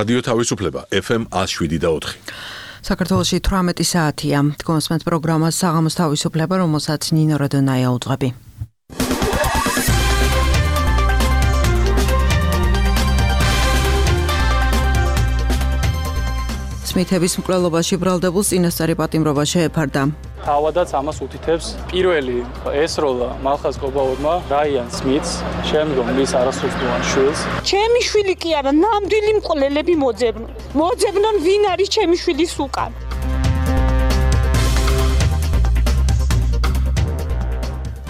რადიო თავისუფლება FM 107.4. საქართველოში 18 საათია. კონსმენთ პროგრამას საღამოს თავისუფლება, რომელსაც ნინო რადონაია უძღვები. სმითების მკვლელობაში ბრალდებულ წინასწარი პატიმრობა შეეფარდა. თავადაც ამას უთითებს პირველი ესროლა მალხაზ კობაურმა რაიან სმითს, შემდგომ მის არასრულწლოვან შვილს. ჩემი შვილი კი არა, ნამდვილი მკვლელები მოძებნონ ვინ არის ჩემი შვილის უკან.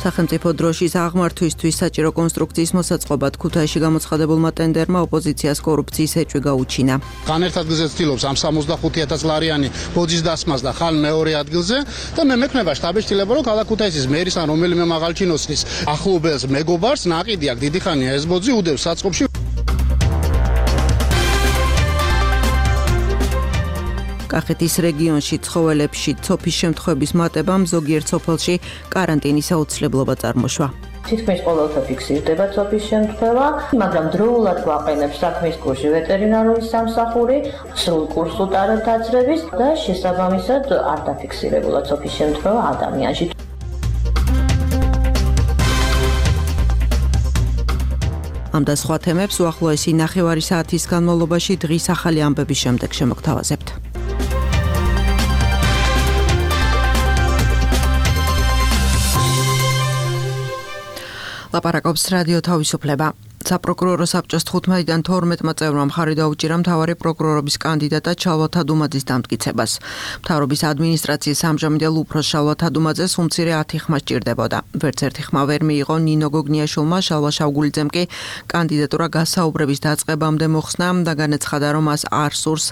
სახელმწიფო დროშის აღმართვისთვის საჭირო კონსტრუქციის მოსაწყობად ქუთაისში გამოცხადებულმა ტენდერმა ოპოზიციას კორუფციის ეჭვი გაუჩინა. განერთად გზით ცდილობს ამ 65,000 ლარიანი ბოძის დასმას და ხან მეორე ადგილზე და მე მექნება შტაბის ცდილება რომ ქალაქ ქუთაისის მერის ან რომელიმე მაღალ ჩინოსნის ახლობელს მეგობარს ნაყიდი აქვს დიდი ხანია ეს ბოძი უდევს საწყობში. კახეთის რეგიონში ცხოველებში ცოფის შემთხვევების მატებამ ზოგიერთ სოფელში კარანტინის აუცილებლობა წარმოშვა. თითქმის ყოველთვის ფიქსირდება ცოფის შემთხვევა, მაგრამ დროულად გვაყენებს საქმის კურსი ვეტერინარული სამსახური, სრულ კურსს უტარებთ აცრების და შესაბამისად არ დაფიქსირებულა ცოფის შემთხვევა ადამიანში. ამ და სხვა თემებს უახლოესი ნახევარი საათის განმავლობაში დღის ახალი ამბების შემდეგ შემოგთავაზებთ. ლაპარაკობს რადიო თავისუფლება. საპროკურორო საბჭოს 15-დან 12 წევრმა მხარი დაუჭირა მთავარი პროკურორობის კანდიდატად შალვა თადუმაძის დამტკიცებას. მთავრობის ადმინისტრაციის ამჟამინდელ უფროს შალვა თადუმაძეს უმცირე 10 ხმა სჭირდებოდა. ვერც ერთი ხმა ვერ მიიღო ნინო გოგნიაშვილმა, შალვა შავგულიძემ კი კანდიდატურა გასაუბრების დაწყებამდე მოხსნა და განაცხადა, რომ მას არ სურს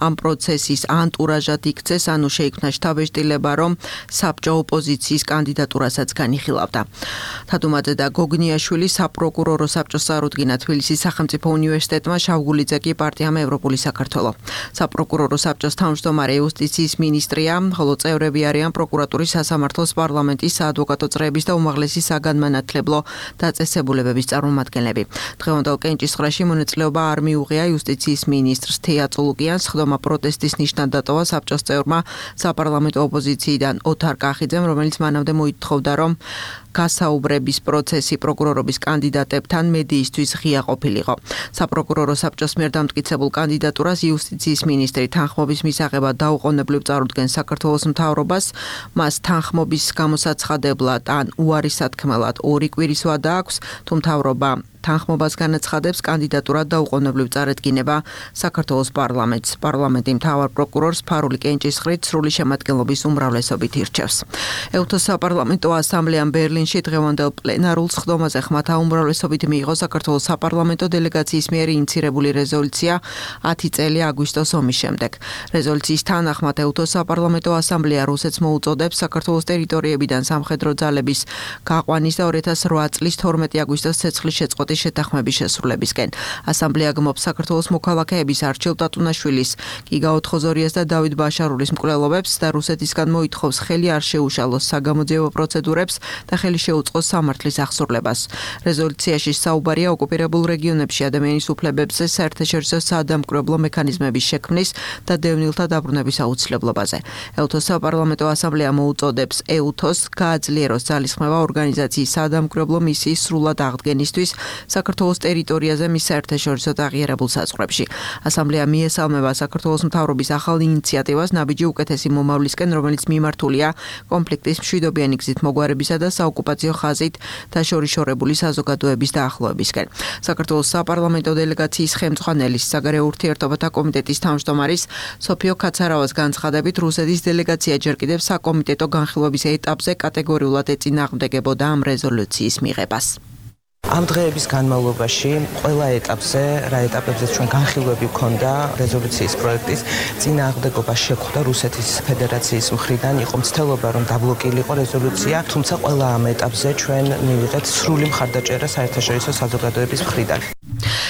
ამ პროცესის ანტურაჟად იქცეს, ანუ შეიქმნა შთაბეჭდილება, რომ საბჭო ოპოზიციის კანდიდატურასაც განიხილავდა. თადუმაძე და გოგნიაშვილი საპროკურორო საბჭოს რუდგინა თბილისის სახელმწიფო უნივერსიტეტმა, შავგულიძე კი პარტიამ ევროპული საქართველო. საპროკურორო საბჭოს თავმჯდომარე იუსტიციის მინისტრია, ხოლო წევრები არიან პროკურატურის, სასამართლოს, პარლამენტის, საადვოკატო წრეების და უმაღლესი საგანმანათლებლო დაწესებულებების წარმომადგენლები. დღევანდელ კენჭისყრაში მონაწილეობა არ მიუღია იუსტიციის მინისტრს თეა წულუკიანს, ხდომა პროტესტის ნიშნად დატოვა საბჭოს წევრმა საპარლამენტო ოპოზიციიდან ოთარ კახიძემ, რომელიც მანამდე მოითხოვდა, რომ გასაუბრების პროცესი პროკურორობის კანდიდატებთან მედიისთვის ღია ყოფილიყო. საპროკურორო საბჭოს მიერ დამტკიცებულ კანდიდატურას იუსტიციის მინისტრი თანხმობის მისაღებად დაუყოვნებლივ წარუდგენს საქართველოს მთავრობას, მას თანხმობის გამოსაცხადებლად ან უარის სათქმელად 2 კვირის ვადა აქვს, თუ მთავრობა თანხმობას განაცხადებს, კანდიდატურა დაუყოვნებლივ წარედგინება საქართველოს პარლამენტს. პარლამენტი მთავარ პროკურორს ფარული კენჭისყრით სრული შემადგენლობის უმრავლესობით ირჩევს. ეუთოს საპარლამენტო ასამბლეამ ბერლინში დღევანდელ პლენარულ სხდომაზე ხმათა უმრავლესობით მიიღო საქართველოს საპარლამენტო დელეგაციის მიერ ინიცირებული რეზოლუცია 10 წელი აგვისტოს ომის შემდეგ. რეზოლუციის თანახმად ეუთოს საპარლამენტო ასამბლეა რუსეთს მოუწოდებს საქართველოს ტერიტორიებიდან სამხედრო ძალების გაყვანის და 2008 წლის 12 აგვისტოს ცეცხლის შეწყვეტის შეთანხმების შესრულებისკენ. ასამბლეა გმობს საქართველოს მოქალაქეების არჩილ ტატუნაშვილის, გიგაო თხოზორიას და დავით ბაშარულის მკვლელობებს და რუსეთისგან მოითხოვს ხელი არ შეუშალოს საგამოძიებო პროცედურებს და ხელი შეუწყოს სამართლის აღსრულებას. რეზოლუციაში საუბარია ოკუპირებულ რეგიონებში ადამიანის უფლებებზე საერთაშორისო საადამკვრებლო მექანიზმების შექმნის და დევნილთა დაბრუნების აუცილებლობაზე. ეუთოს საპარლამენტო ასამბლეა მოუწოდებს ეუთოს გააძლიეროს ძალისხმევა ორგანიზაციის საადამკვრებლო მისიის სრულად აღდგენისთვის საქართველოს ტერიტორიაზე მის საერთაშორისო აღიარებულ საზღვრებში. ასამბლეა მიესალმება საქართველოს მთავრობის ახალ ინიციატივას ნაბიჯი უკეთესი მომავლისკენ, რომელიც მიმართულია კონფლიქტის მშვიდობიანი გზით მოგვარებისა და საოკუპაციო ხაზით დაშორიშორებული საზოგადოების დაახლოებისკენ. საქართველოს საპარლამენტო დელეგაციის ხელმძღვანელის, საგარეო ურთიერთობათა კომიტეტის თავმჯდომარის სოფიო კაცარავას განცხადებით, რუსეთის დელეგაცია ჯერ კიდევ საკომიტეტო განხილვების ეტაპზე კატეგორიულად ეწინააღმდეგებოდა ამ რეზოლუციის მიღებას. ამ დღეების განმავლობაში ყველა ეტაპზე, რა ეტაპებზეც ჩვენ განხილვები გვქონდა რეზოლუციის პროექტის წინააღმდეგობა შეხვდა რუსეთის ფედერაციის მხრიდან, იყო მცდელობა რომ დაბლოკილიყო რეზოლუცია, თუმცა ყველა ამ ეტაპზე ჩვენ მივიღეთ სრული მხარდაჭერა საერთაშორისო საზოგადოების მხრიდან.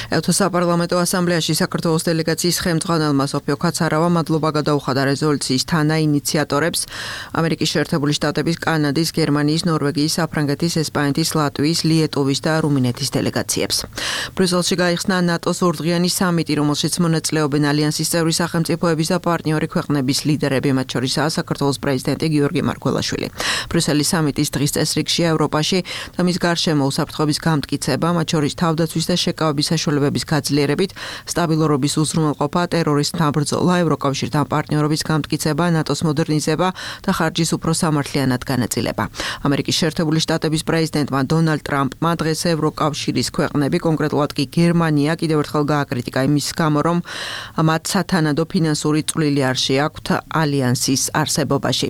ევროსაპარლამენტო ასამბლეაში საქართველოს დელეგაციის ხელმძღვანელმა სოფიო ქაცარავა მადლობა გადაუხადა რეზოლუციის თანაინიციატორებს ამერიკის შეერთებული შტატების, კანადის, გერმანიის, ნორვეგიის, საფრანგეთის, ესპანეთის, ლატვიის, ლიეტუვის და რუმინეთის დელეგაციებს. ბრიუსელში გაიხსნა ნატოს ორდღიანი სამიტი, რომელშიც მონაწილეობენ ალიანსის წევრი სახელმწიფოების და პარტნიორი ქვეყნების ლიდერები, მათ შორისაა საქართველოს პრეზიდენტი გიორგი მარგველაშვილი. ბრიუსელის სამიტის დღის წესრიგშია ევროპაში და მის გარშემო უსაფრთხოების გამტკიცება, მათ შორის თავდაცვის და შეკავების საშუალებების გაძლიერებით, სტაბილურობის უზრუნველყოფა, ტერორიზმთან ბრძოლა, ევროკავშირთან პარტნიორობის გამტკიცება, ნატოს მოდერნიზება და ხარჯის უფრო სამართლიანად განაწილება. ამერიკის შეერთებული შტატების პრეზიდენტმა დონალდ ტრამპმა დღეს ევროკავშირის ქვეყნები, კონკრეტულად კი გერმანია, კიდევ ერთხელ გააკრიტიკა იმის გამო, რომ მათ სათანადო ფინანსური წვლილი არ შეაქვთ ალიანსის არსებობაში.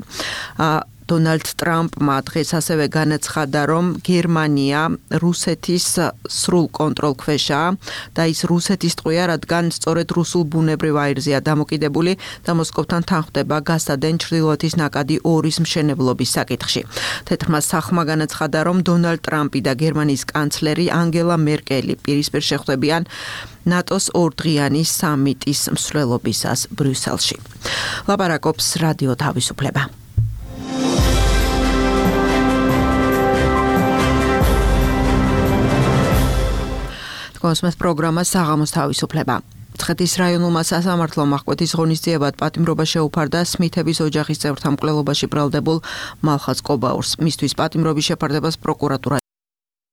დონალდ ტრამპმა დღეს ასევე განაცხადა, რომ გერმანია რუსეთის სრულ კონტროლ ქვეშაა და ის რუსეთის ტყვია, რადგან სწორედ რუსულ ბუნებრივ აირზეა დამოკიდებული და მოსკოვთან თანხმდება გასადენ ჩრდილოეთის ნაკადი 2-ის მშენებლობის საკითხში. თეთრმა სახმა განაცხადა, რომ დონალდ ტრამპი და გერმანიის კანცლერი ანგელა მერკელი პირისპირ შეხვდებიან ნატოს ორდღიანი სამიტის მსვლელობისას ბრიუსელში. ლაპარაკობს რადიო თავისუფლება. კონსმეთ პროგრამა საღამოს თავისუფლება. მცხეთის რაიონულმა სასამართლომ აღკვეთის ღონისძიებად პატიმრობა შეუფარდა სმითების ოჯახის წევრთა მკვლელობაში ბრალდებულ მალხაზ კობაურს. მისთვის პატიმრობის შეფარდებას პროკურატურა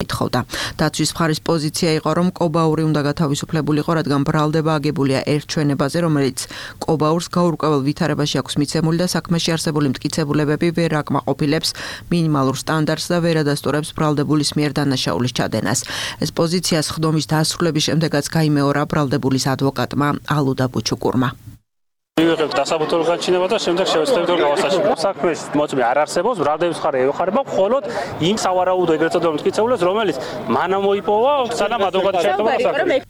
ითხოვდა. დაცვის მხარის პოზიცია იყო, რომ კობაური უნდა გათავისუფლებულიყო, რადგან ბრალდება აგებულია ერთ ჩვენებაზე, რომელიც კობაურს გაურკვეველ ვითარებაში აქვს მიცემული და საქმეში არსებული მტკიცებულებები ვერ აკმაყოფილებს მინიმალურ სტანდარტს და ვერ ადასტურებს ბრალდებულის მიერ დანაშაულის ჩადენას. ეს პოზიცია სხდომის დასრულების შემდეგაც გაიმეორა ბრალდებულის ადვოკატმა ალუდა ბუჩუკურმა. ვიღებ დასაბუთებულ გაჩინება და შემდეგ შევეცდებით რომ გავასაშენო. საქმეს მოწმე არ არსებობს, ბრალდების მხარე ევხარება მხოლოდ იმ სავარაუდო ეგრეთ წოდებული მტკიცებულებს, რომელიც მანამ მოიპოვა, სანამ ადვოკატი შეერთება საქმეს.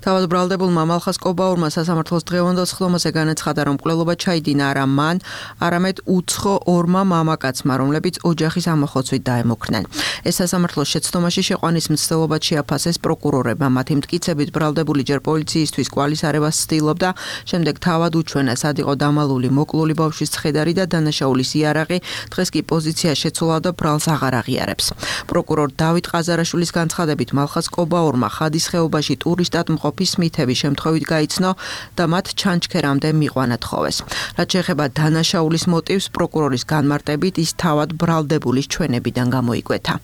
თავად ბრალდებულმა მალხაზ კობაურმა სასამართლოს დღევანდელ სხდომაზე განაცხადა, რომ მკვლელობა ჩაიდინა არა მან, არამედ უცხო ორმა მამაკაცმა, რომლებიც ოჯახის ამოხოცვით დაემუქრნენ. ეს სასამართლოს შეცდომაში შეყვანის მცდელობად შეაფასეს პროკურორებმა. მათი მტკიცებით ბრალდებული ჯერ პოლიციისთვის კვალის არევას ცდილობდა, შემდეგ თავად უჩვენა, სად იყო დამალული მოკლული ბავშვის ცხედარი და დანაშაულის იარაღი, დღეს კი პოზიცია შეცვალა და ბრალს აღარ აღიარებს. პროკურორ დავით ყაზარაშვილის განცხადებით მალხაზ კობაურმა ხადის ხეობაში ტურისტად მყოფის სმითების შემთხვევით გაიცნო და მათ ჩანჩქერამდე მიყვანა თხოვეს. რაც შეეხება დანაშაულის მოტივს, პროკურორის განმარტებით ის თავად ბრალდებულის ჩვენებიდან გამოიკვეთა.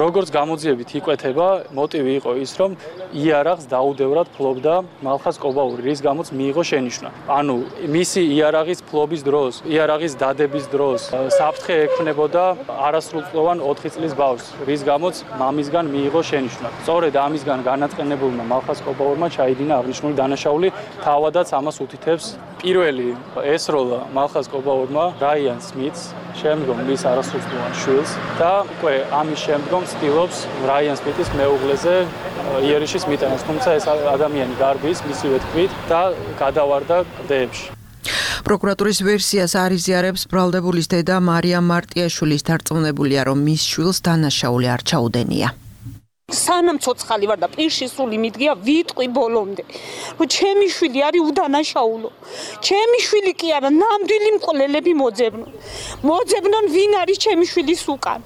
როგორც გამოძიებით იკვეთება, მოტივი იყო ის, რომ იარაღს დაუდევრად ფლობდა მალხაზ კობაური, რის გამოც მიიღო შენიშვნა. ანუ მისი იარაღის ფლობის დროს, იარაღის დადების დროს საფრთხე ექმნებოდა არასრულწლოვან 4 წლის ბავშვს, რის გამოც მამისგან მიიღო შენიშვნა. სწორედ ამისგან განაწყენებულმა მალხაზ კობაურმა ჩაიდინა აღნიშნული დანაშაული, თავადაც ამას უთითებს პირველი ესროლა მალხაზ კობაურმა რაიან სმითს, შემდგომ მის არასრულწლოვან შვილს და უკვე ამის შემდგომ ცდილობს რაიან სმითის მეუღლეზე იერიშის მიტანას, თუმცა ეს ადამიანი გარბის მისივე თქმით და გადავარდა კლდეებში. პროკურატურის ვერსიას არ იზიარებს ბრალდებულის დედა მარიამ მარტიაშვილის დარწმუნებულია, რომ მის შვილს დანაშაული არ ჩაუდენია. სანამ ცოცხალი ვარ და პირში სული მიდგია ვიტყვი ბოლომდე, რომ ჩემი შვილი არის უდანაშაულო. ჩემი შვილი კი არა, ნამდვილი მკვლელები მოძებნონ ვინ არის ჩემი შვილის უკან.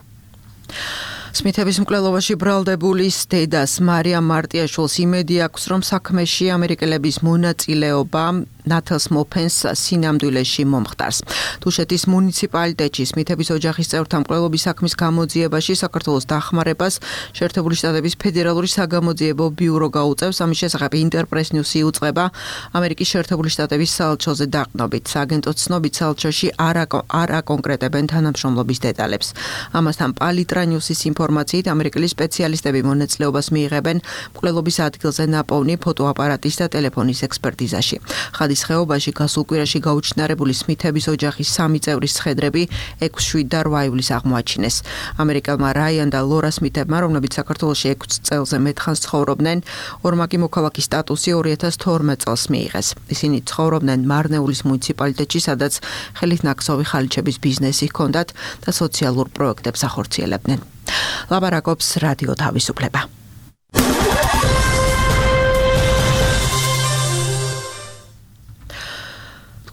სმითების მკვლელობაში ბრალდებულის დედას მარიამ მარტიაშვილს იმედი აქვს, რომ საქმეში ამერიკელების მონაწილეობა ნათელს მოფენს სინამდვილეში მომხდარს. თუშეთის მუნიციპალიტეტში სმითების ოჯახის წევრთა მკვლელობის საქმის გამოძიებაში საქართველოს დახმარებას შეერთებული შტატების ფედერალური საგამოძიებო ბიურო გაუწევს. ამის შესახებ ინტერპრეს ნიუსი იუწყება ამერიკის შეერთებული შტატების საელჩოზე დაყნობით. სააგენტოს ცნობით საელჩოში არ აკონკრეტებენ თანამშრომლობის დეტალებს. ამასთან პალიტრა ნიუსის ინფორმაციით ამერიკელი სპეციალისტები მონაწილეობას მიიღებენ მკვლელობის ადგილზე ნაპოვნი ფოტოაპარატის და ტელეფონის ექსპერტიზაში. ხადის ხეობაში გასულ კვირაში გაუჩინარებული სმითების ოჯახის 3 წევრის ცხედრები 6, 7 და 8 ივლისს აღმოაჩინეს. ამერიკელმა რაიან და ლორა სმითებმა, რომლებიც საქართველოში 6 წელზე მეტხანს ცხოვრობდნენ, ორმაგი მოქალაქის სტატუსი 2012 წელს მიიღეს. ისინი ცხოვრობდნენ მარნეულის მუნიციპალიტეტში, სადაც ხელით ნაკსოვი ხალიჩების ბიზნესი ჰქონდათ და სოციალურ პროექტებს ახორციელებდნენ. ლაპარაკობს რადიო თავისუფლება.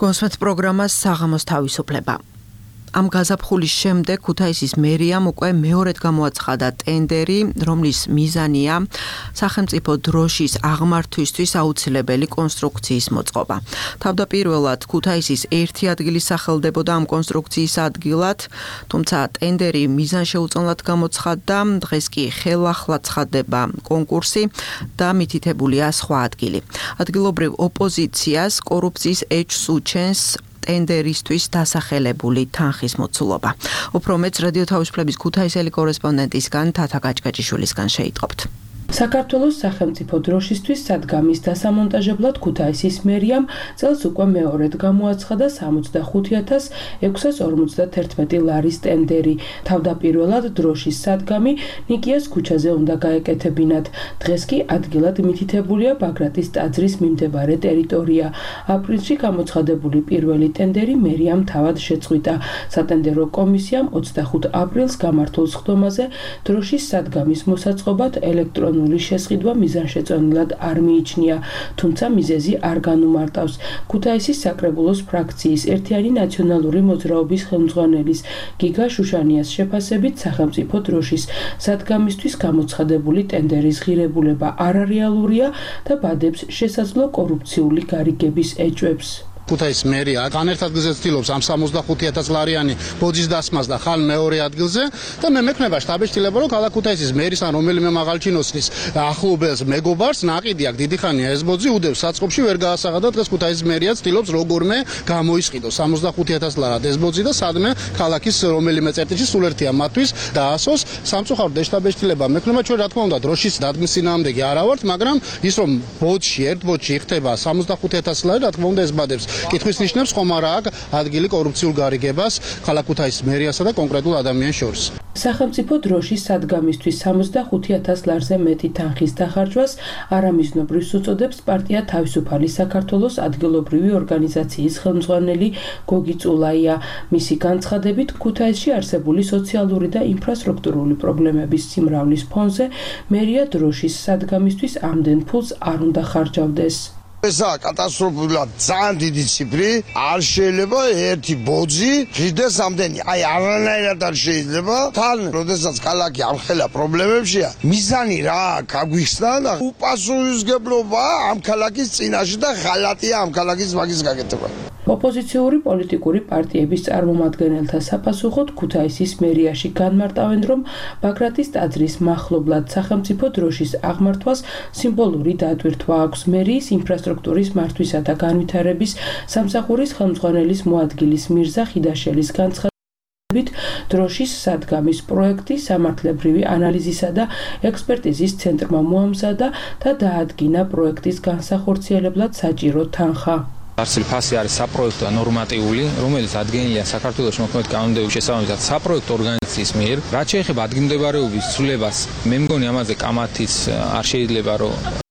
გოსმეთ პროგრამას საღამოს თავისუფლება. Am გაზაფხულის შემდეგ ქუთაისის მერიამ უკვე მეორედ გამოაცხადა ტენდერი, რომლის მიზანია სახელმწიფო დროშის აღმართვისთვის აუცილებელი კონსტრუქციის მოწყობა. თავდაპირველად ქუთაისის ერთი ადგილი სახელდებოდა ამ კონსტრუქციის ადგილად, თუმცა ტენდერი მიზანშეუწონლად გამოცხადდა, დღეს კი ხელახლა ცხადდება კონკურსი და მითითებულია სხვა ადგილი. ადგილობრივ ოპოზიციას კორუფციის ეჭვს უჩენს ტენდერისთვის დასახელებული თანხის მოცულობა. უფრო მეც რადიო თავისუფლების ქუთაისელი კორესპონდენტისგან თათა გაჭკაჭიშვილისგან შეიტყობთ. საქართველოს სახელმწიფო დროშისთვის სადგამის დასამონტაჟებლად ქუთაისის მერიამ წელს უკვე მეორედ გამოაცხადა 65,651 ლარის ტენდერი. თავდაპირველად დროშის სადგამი ნიკიას ქუჩაზე უნდა გაეკეთებინათ. დღეს კი ადგილად მითითებულია ბაგრატის ტაძრის მიმდებარე ტერიტორია. აპრილში გამოცხადებული პირველი ტენდერი მერიამ თავად შეწყვიტა. სატენდერო კომისიამ 25 აპრილს გამართულ სხდომაზე დროშის სადგამის მოსაწყობად ელექტრონული შესყიდვა მიზანშეწონილად არ მიიჩნია, თუმცა მიზეზი არ განუმარტავს. ქუთაისის საკრებულოს ფრაქციის ერთიანი ნაციონალური მოძრაობის ხელმძღვანელის გიგა შუშანიას შეფასებით სახელმწიფო დროშის სადგამისთვის გამოცხადებული ტენდერის ღირებულება არარეალურია და ბადებს შესაძლო კორუფციული გარიგების ეჭვებს. ქუთაისის მერია განერთ ადგილზე ცდილობს ამ 65,000 ლარიანი ბოძის დასმას და ხან მეორე ადგილზე და მე მექნება შტაბეშტილება რომ ქალაქ ქუთაისის მერის ან რომელიმე მაღალ ჩინოსნის ახლობელს მეგობარს ნაყიდი აქვს დიდი ხანია ეს ბოძი უდევს საწყობში ვერ გაასაღა და დღეს ქუთაისის მერია ცდილობს როგორმე გამოისყიდოს 65,000 ლარად ეს ბოძი და სადმე ქალაქის რომელიმე წერტილში სულ ერთია მათთვის დაასოს სამწუხაროდ შტაბეშტილება მექნება ჩვენ რა თქმა უნდა დროშის დადგმის წინააღმდეგი არა ვართ მაგრამ ის რომ ბოძში ერთ ბოძში იხდება 65,000 ლარი რა თქმა უნდა ეს ბადებს კითხვის ნიშნებს ხომ არა აქვს ადგილი კორუფციულ გარიგებას ქალაქ ქუთაისის მერიასა და კონკრეტულ ადამიანს შორის. სახელმწიფო დროშის სადგამისთვის 65,000 ლარზე მეტი თანხის დახარჯვას არამიზნობრივს უწოდებს პარტია თავისუფალი საქართველოს ადგილობრივი ორგანიზაციის ხელმძღვანელი გოგი წულაია. მისი განცხადებით ქუთაისში არსებული სოციალური და ინფრასტრუქტურული პრობლემების სიმრავლის ფონზე მერია დროშის სადგამისთვის ამდენ ფულს არ უნდა ხარჯავდეს. ესაა კატასტროფულად ძალიან დიდი ციფრი, არ შეიძლება ერთი ბოძი ღირდეს ამდენი, არანაირად არ შეიძლება. თან, როდესაც ქალაქი ამხელა პრობლემებშია, მიზანი რა გაგვიხსნა და უპასუხისმგებლობა ამ ქალაქის წინაშე და ღალატია ამ ქალაქის მაგის გაკეთება. ოპოზიციური პოლიტიკური პარტიების წარმომადგენელთა საფასუხოდ ქუთაისის მერიაში განმარტავენ, რომ ბაგრატის ტაძრის მახლობლად სახელმწიფო დროშის აღმართვას სიმბოლური დატვირთვა აქვს. მერიის ინფრასტრუქტურის მართვისა და განვითარების სამსახურის ხელმძღვანელის მოადგილის მირზა ხიდაშელის განცხადებით, დროშის სადგამის პროექტი სამართლებრივი ანალიზისა და ექსპერტიზის ცენტრმა მოამზადა და დაადგინა პროექტის განსახორციელებლად საჭირო თანხა. Არსილი ფასი არის საპროექტო და ნორმატიული, რომელიც ადგენილია საქართველოს მოქმედი კანონმდებლობის შესაბამისად საპროექტო ორგანიზაციის მიერ. რაც შეეხება ადგილმდებარეობის ცვლილებას, მე მგონი ამაზე კამათიც არ შეიძლება რომ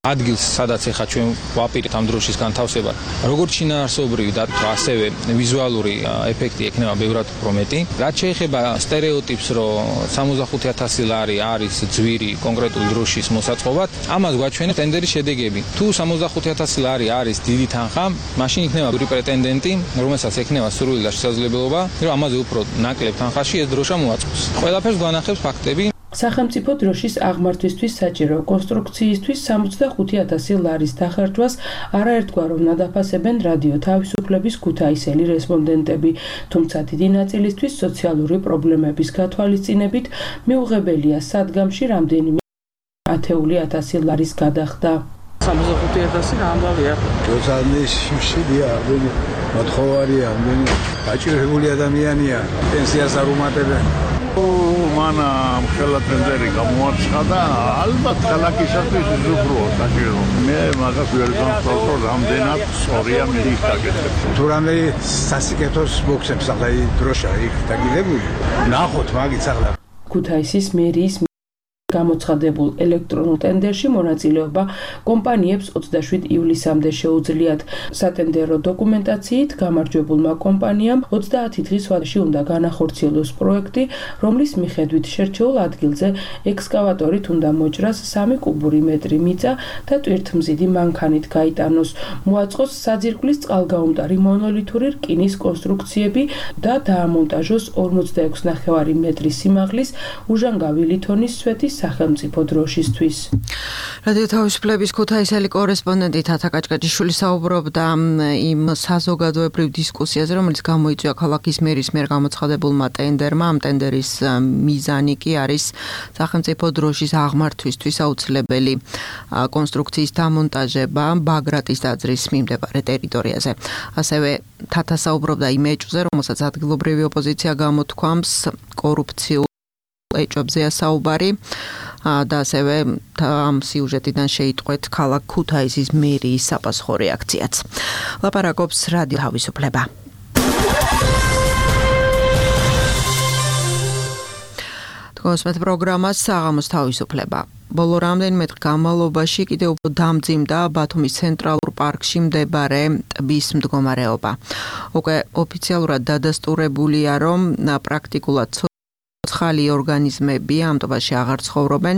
ადგილს, სადაც ეხა ჩვენ ვაპირებთ ამ დროშის განთავსებას, როგორც შინაარსობრივი და ასევე ვიზუალური ეფექტი ექნება ბევრად უფრო მეტი. რაც შეეხება სტერეოტიპს, რომ 65,000 ლარი არის ძვირი კონკრეტული დროშის მოსაწყობად, ამას გვაჩვენებს ტენდერის შედეგები. თუ 65,000 ლარი არის დიდი თანხა, მაშინ იქნება ორი პრეტენდენტი, რომელსაც ექნება სურვილი და შესაძლებლობა, რომ ამაზე უფრო ნაკლებ თანხაში ეს დროშა მოაწყოს. ყველაფერს გვანახებს ფაქტები. სახელმწიფო დროშის აღმართვისთვის საჭირო კონსტრუქციისთვის 65,000 ლარის დახარჯვას არაერთგვაროვნად ნადაფასებენ რადიო თავისუფლების ქუთაისელი რესპონდენტები, თუმცა დიდი ნაწილისთვის სოციალური პრობლემების გათვალისწინებით მიუღებელია სადგამში რამდენიმე 10,000 ლარის გადახდა. 65,000 რა ამბავია? როცა შიმშილია, ამდენი მოთხოვარია, ამდენი გაჭირებული ადამიანია, პენსიას არ უმატებენ. მან ხელა ტენდერი გამოაცხადა, ალბათ ქალაქისათვის უზრუნველყო საჭირო. მე მაგას ვერ განსხვავებთ, რამდენად სწორია მის გაკეთება. თუ რამე სასიკეთოს მოხსებს ახლა დროშა იქ დაგიდებული. ნახოთ მაგით ახლა. ქუთაისის მერიის გამოცხადებულ ელექტრონულ ტენდერში მონაწილეობა კომპანიებს 27 ივლისამდე შეუძლიათ. სატენდერო დოკუმენტაციით გამარჯვებულმა კომპანიამ 30 დღის ვადაში უნდა განახორციელოს პროექტი, რომლის მიხედვით შერჩეულ ადგილზე ექსკავატორით უნდა მოჭრას 3 კუბური მეტრი მიწა და ტვირთმზიდი მანქანით გაიტანოს. მოაწყოს საძირკვლის წყალგაუმტარი მონოლითური რკინის კონსტრუქციები და დაამონტაჟოს 46.5 მეტრი სიმაღლის უჟანგავი ლითონის სვეტის სახელმწიფო დროშისთვის. რადიო თავისუფლების ქუთაისელი კორესპონდენტი თათა კაჭკაჭიშვილი საუბრობდა იმ საზოგადოებრივ დისკუსიაზე, რომელიც გამოიწვია ქალაქის მერის მიერ გამოცხადებულმა ტენდერმა. ამ ტენდერის მიზანი კი არის სახელმწიფო დროშის აღმართვისთვის აუცილებელი კონსტრუქციის დამონტაჟება ბაგრატის ტაძრის მიმდებარე ტერიტორიაზე. ასევე თათა საუბრობდა იმ ეჭვზე, რომელსაც ადგილობრივი ოპოზიცია გამოთქვამს კორუფციულ ეჭვებზეა საუბარი და ასევე ამ სიუჟეტიდან შეიტყვეთ ქალაქ ქუთაისის მერიის საპასუხო რეაქციაც. ლაპარაკობს რადიო თავისუფლება. თქვენს პროგრამას საღამოს თავისუფლება. ბოლო რამდენიმე დღის განმავლობაში კიდევ უფრო დამძიმდა ბათუმის ცენტრალურ პარკში მდებარე ტბის მდგომარეობა. უკვე ოფიციალურად დადასტურებულია, რომ პრაქტიკულად ცხალი ორგანიზმები ამ ტბაში აღარ ცხოვრობენ.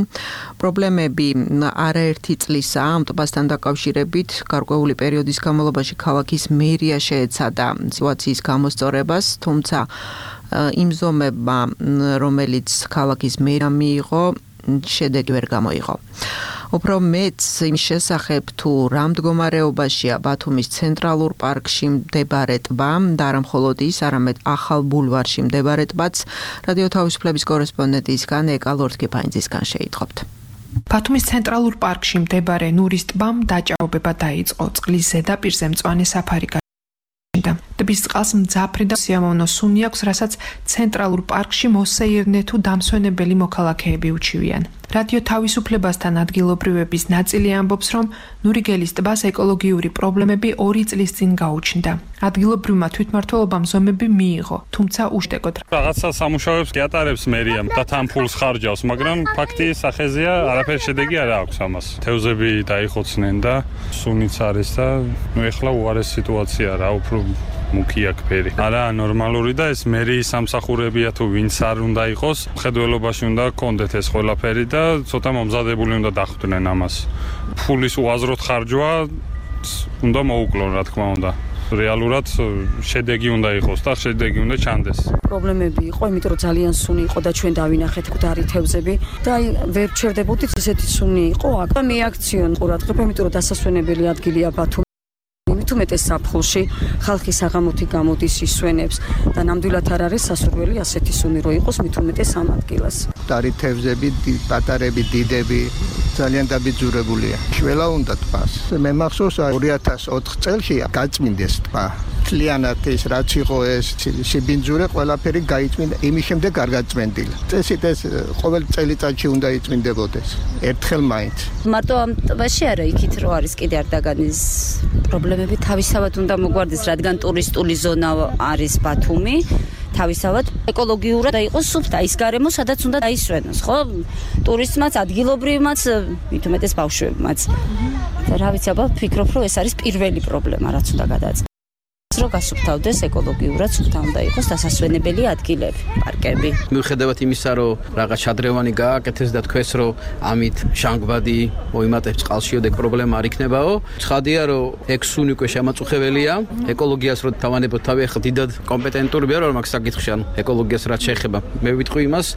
პრობლემები არაერთი წლისაა ამ ტბასთან დაკავშირებით. გარკვეული პერიოდის განმავლობაში ქალაქის მერია შეეცადა სიტუაციის გამოსწორებას, თუმცა იმ ზომებმა, რომელიც ქალაქის მერია მიიღო, შედეგი ვერ გამოიღო. უფრო მეც იმ შესახებ თუ რა მდგომარეობაშია ბათუმის ცენტრალურ პარკში მდებარე ტბა და არა მხოლოდ ის, არამედ ახალ ბულვარში მდებარე ტბაც რადიო თავისუფლების კორესპონდენტისგან ეკა ლორთქიფაინძისგან შეიტყობთ. ბათუმის ცენტრალურ პარკში მდებარე ნურის ტბამ დაჭაობება დაიწყო. წყლის ზედაპირზე მწვანე საფარი ტბის წყალს მძაფრი და სიამოვნო სუნი აქვს, რასაც ცენტრალურ პარკში მოსეირნე თუ დამსვენებელი მოქალაქეები უჩივიან. რადიო თავისუფლებასთან ადგილობრივების ნაწილი ამბობს, რომ ნურიგელის ტბას ეკოლოგიური პრობლემები 2 წლის წინ გაუჩნდა. ადგილობრივმა თვითმმართველობამ ზომები მიიღო, თუმცა უშტეკოდ. რაღაცა სამუშაოებს გიატარებს მერიამ და თან ფულს ხარჯავს, მაგრამ ფაქტი სახეზეა, არაფერი შედეგი არ აქვს ამას. თევზები დაიხოცნენ და სუნიც არის და ეხლა უარეს სიტუაცია რა, უფრო მუქია ფერი. არა ნორმალური და ეს მერიის სამსახურებია თუ ვინც არ უნდა იყოს, მხედველობაში უნდა კონდეთ ეს ყველაფერი და ცოტა მომზადებული უნდა დახვდნენ ამას. ფულის უაზროდ ხარჯვა უნდა მოუკლონ, რა თქმა უნდა. რეალურად შედეგი უნდა იყოს და შედეგი უნდა ჩანდეს. პრობლემები იყო, იმიტომ რომ ძალიან სუნი იყო და ჩვენ დავინახეთ გვდარი თევზები და აი ვერ ჩერდებოდით, ესეთი სუნი იყო. აქ მიაქციონ ყურადღება, იმიტომ რომ დასასვენებელი ადგილია ბათუმი. თუმეტეს საფხულში ხალხი საღამოთი გამოდის ისვენებს და ნამდვილად არ არის სასურველი ასეთი სუნი რო იყოს მით უმეტეს ამ ადგილას. დარი თევზები, პატარები, დიდები ძალიან დაბიძურებულია. შველა უნდა ტბას. მე მახსოვს 2004 წელში გაწმინდეს ტბა. მთლიანად ეს რაც იყო ეს სიბინძურე ყველაფერი გაიწმინდა, იმის შემდეგ არ გაწმენდილა. წესით ეს ყოველ წელიწადში უნდა იწმინდებოდეს. ერთხელ მაინც. მარტო ამ ტბაში არა, იქით რო არის კიდე არ დაგანის პრობლემები თავისავად უნდა მოგვარდეს, რადგან ტურისტული ზონა არის ბათუმი. თავისავად ეკოლოგიურად და იყოს სუფთა ის გარემო, სადაც უნდა დაისვენოს, ხო? ტურისტმაც, ადგილობრივმაც, მით უმეტეს ბავშვებმაც. და რა ვიცი, აბა ვფიქრობ, რომ ეს არის პირველი პრობლემა, რაც უნდა გადაწყდეს. რომ გასუფთავდეს ეკოლოგიურად, სუფთა უნდა იყოს დასასვენებელი ადგილები, პარკები. მიუხედავად იმისა, რომ რაღაც შადრევანი გააკეთეს და თქვეს, რომ ამით შანგბადი მოიმატებს წყალში, ოდეკ პრობლემა არ იქნებაო. ცხადია, რომ ეგ სუნი უკვე შემაწუხებელია, ეკოლოგიას რო თავანებოთ თავი, ახლა დიდად კომპეტენტურია რომ მაგ საკითხში, ანუ ეკოლოგიას რაც შეეხება. მე ვიტყვი იმას,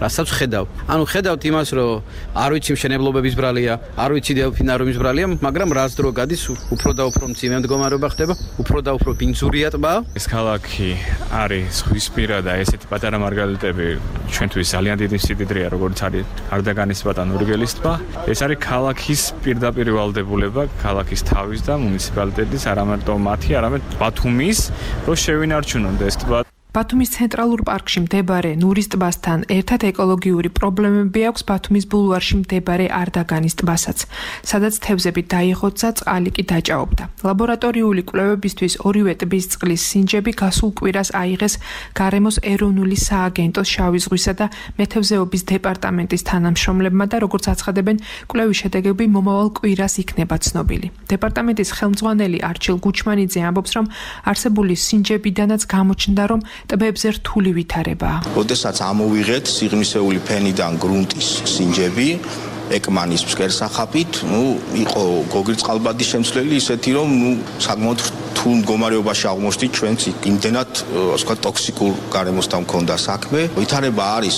რასაც ხედავ. ანუ ხედავთ იმას, რომ არ ვიცი მშენებლობების ბრალია, არ ვიცი დელფინარიუმის ბრალია, მაგრამ რაც დრო გადის, უფრო და უფრო მძიმე მდგომარეობა ხდება, უფრო და უფრო ზურია ტბა. ეს ქალაქი არის ზღვისპირა და ესეთი პატარა მარგალიტები ჩვენთვის ძალიან დიდი სიმდიდრეა, როგორც არის არდაგანის ტბა და ნურიგელის ტბა. ეს არის ქალაქის პირდაპირ ვალდებულება, ქალაქის თავის და მუნიციპალიტეტის, არამარტო მათი, არამედ ბათუმის, რომ შევინარჩუნონ ეს ტბა. ბათუმის ცენტრალურ პარკში მდებარე ნურის ტბასთან ერთად ეკოლოგიური პრობლემები აქვს ბათუმის ბულვარში მდებარე არდაგანის ტბასაც, სადაც თევზები დაიღოცა, წყალი კი დაჭაობდა. ლაბორატორიული კვლევებისთვის ორივე ტბის წყლის სინჯები გასულ კვირას აიღეს გარემოს ეროვნული სააგენტოს შავი ზღვისა და მეთევზეობის დეპარტამენტის თანამშრომლებმა და როგორც აცხადებენ, კვლევის შედეგები მომავალ კვირას იქნება ცნობილი. დეპარტამენტის ხელმძღვანელი არჩილ გუჩმანიძე ამბობს, რომ არსებული სინჯებიდანაც გამოჩნდა, რომ ტბებზე რთული ვითარებაა. როდესაც ამოვიღეთ სიღრმისეული ფენიდან გრუნტის სინჯები ეკმანის ფსკერსახაფით, იყო გოგირწყალბადის შემცვლელი ისეთი, რომ საკმაოდ რთულ მდგომარეობაში აღმოჩნდით ჩვენც იმდენად, ასე ვთქვათ, ტოქსიკურ გარემოსთან მქონდა საქმე. ვითარება არის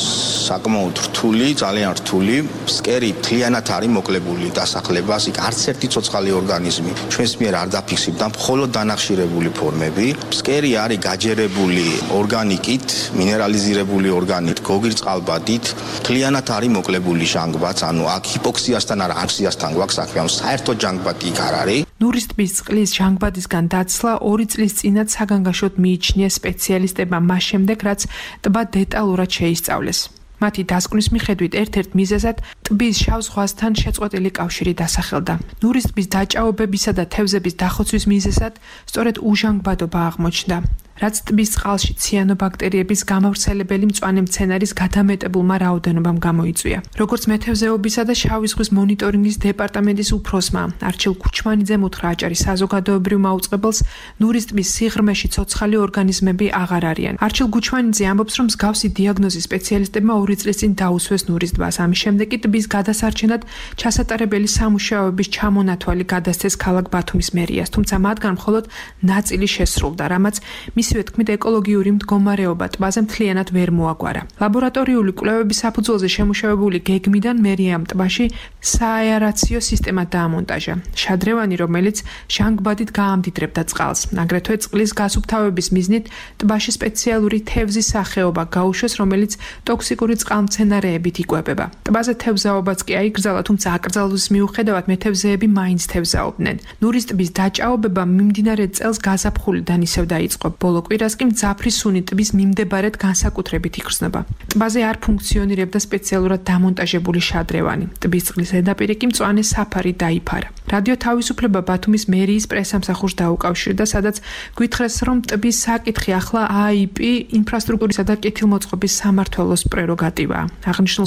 საკმაოდ რთული, ძალიან რთული. ფსკერი მთლიანად არის მოკლებული დასახლებას, იქ არც ერთი ცოცხალი ორგანიზმი ჩვენს მიერ არ დაფიქსირდა, მხოლოდ დანახშირებული ფორმები. ფსკერი არის გაჯერებული ორგანიკით, მინერალიზირებული ორგანით, გოგირწყალბადით, მთლიანად არის მოკლებული ჟანგბადს, ანუ ჰიპოქსიასთან არა აფსიასთან გვაქვს საქმე, ანუ საერთოდ ჟანგბადი იქ არ არის. ნურის ტბის წყლის ჟანგბადისგან დაცლა 2 წლის წინათ საგანგაშოდ მიიჩნიეს სპეციალისტებმა მას შემდეგ, რაც ტბა დეტალურად შეისწავლეს. მათი დასკვნის მიხედვით ერთ-ერთ მიზეზად ტბის შავ ზღვასთან შეწყვეტილი კავშირი დასახელდა. ნურის ტბის დაჭაობებისა და თევზების დახოცვის მიზეზად სწორედ უჟანგბადობა აღმოჩნდა. რაც ტბის წყალში ციანობაქტერიების გამავრცელებელი მწვანე მცენარის გადამეტებულმა რაოდენობამ გამოიწვია. როგორც მეთევზეობისა და შავი ზღვის მონიტორინგის დეპარტამენტის უფროსმა არჩილ გუჩმანიძემ უთხრა აჭარის საზოგადოებრივ მაუწყებელს, ნურის ტბის სიღრმეში ცოცხალი ორგანიზმები აღარ არიან. არჩილ გუჩმანიძე ამბობს, რომ მსგავსი დიაგნოზის სპეციალისტებმა 2 წლის წინ დაუსვეს ნურის ტბას. ამის შემდეგ კი ტბის გადასარჩენად ჩასატარებელი სამუშაოების ჩამონათვალი გადასცეს ქალაქ ბათუმის მერიას, თუმცა მათგან მხოლოდ ნაწილი შესრულდა, რამაც მისივე თქმით ეკოლოგიური მდგომარეობა ტბაზე მთლიანად ვერ მოაგვარა. ლაბორატორიული კვლევების საფუძველზე შემუშავებული გეგმიდან მერიამ ტბაში სააერაციო სისტემა დაამონტაჟა. შადრევანი, რომელიც ჟანგბადით გაამდიდრებდა წყალს. აგრეთვე წყლის გასუფთავების მიზნით ტბაში სპეციალური თევზის სახეობა გაუშვეს, რომელიც ტოქსიკური წყალმცენარეებით იკვებება. ტბაზე თევზაობაც კი აიკრძალა, თუმცა აკრძალვის მიუხედავად მეთევზეები მაინც თევზაობდნენ. ნურის ტბის დაჭაობება მიმდინარე წელს გაზაფხულიდან ისევ დაიწყო. ბოლო კვირას კი მძაფრი სუნი ტბის მიმდებარედ განსაკუთრებით იგრძნობა. ტბაზე არ ფუნქციონირებდა სპეციალურად დამონტაჟებული შადრევანი. ტბის წყლის ზედაპირი კი მწვანე საფარი დაიფარა. რადიო თავისუფლება ბათუმის მერიის პრესამსახურს დაუკავშირდა, სადაც გვითხრეს, რომ ტბის საკითხი ახლა AIP ინფრასტრუქტურისა და კეთილმოწყობის სამმართველოს პრეროგატივაა. აღნიშნულ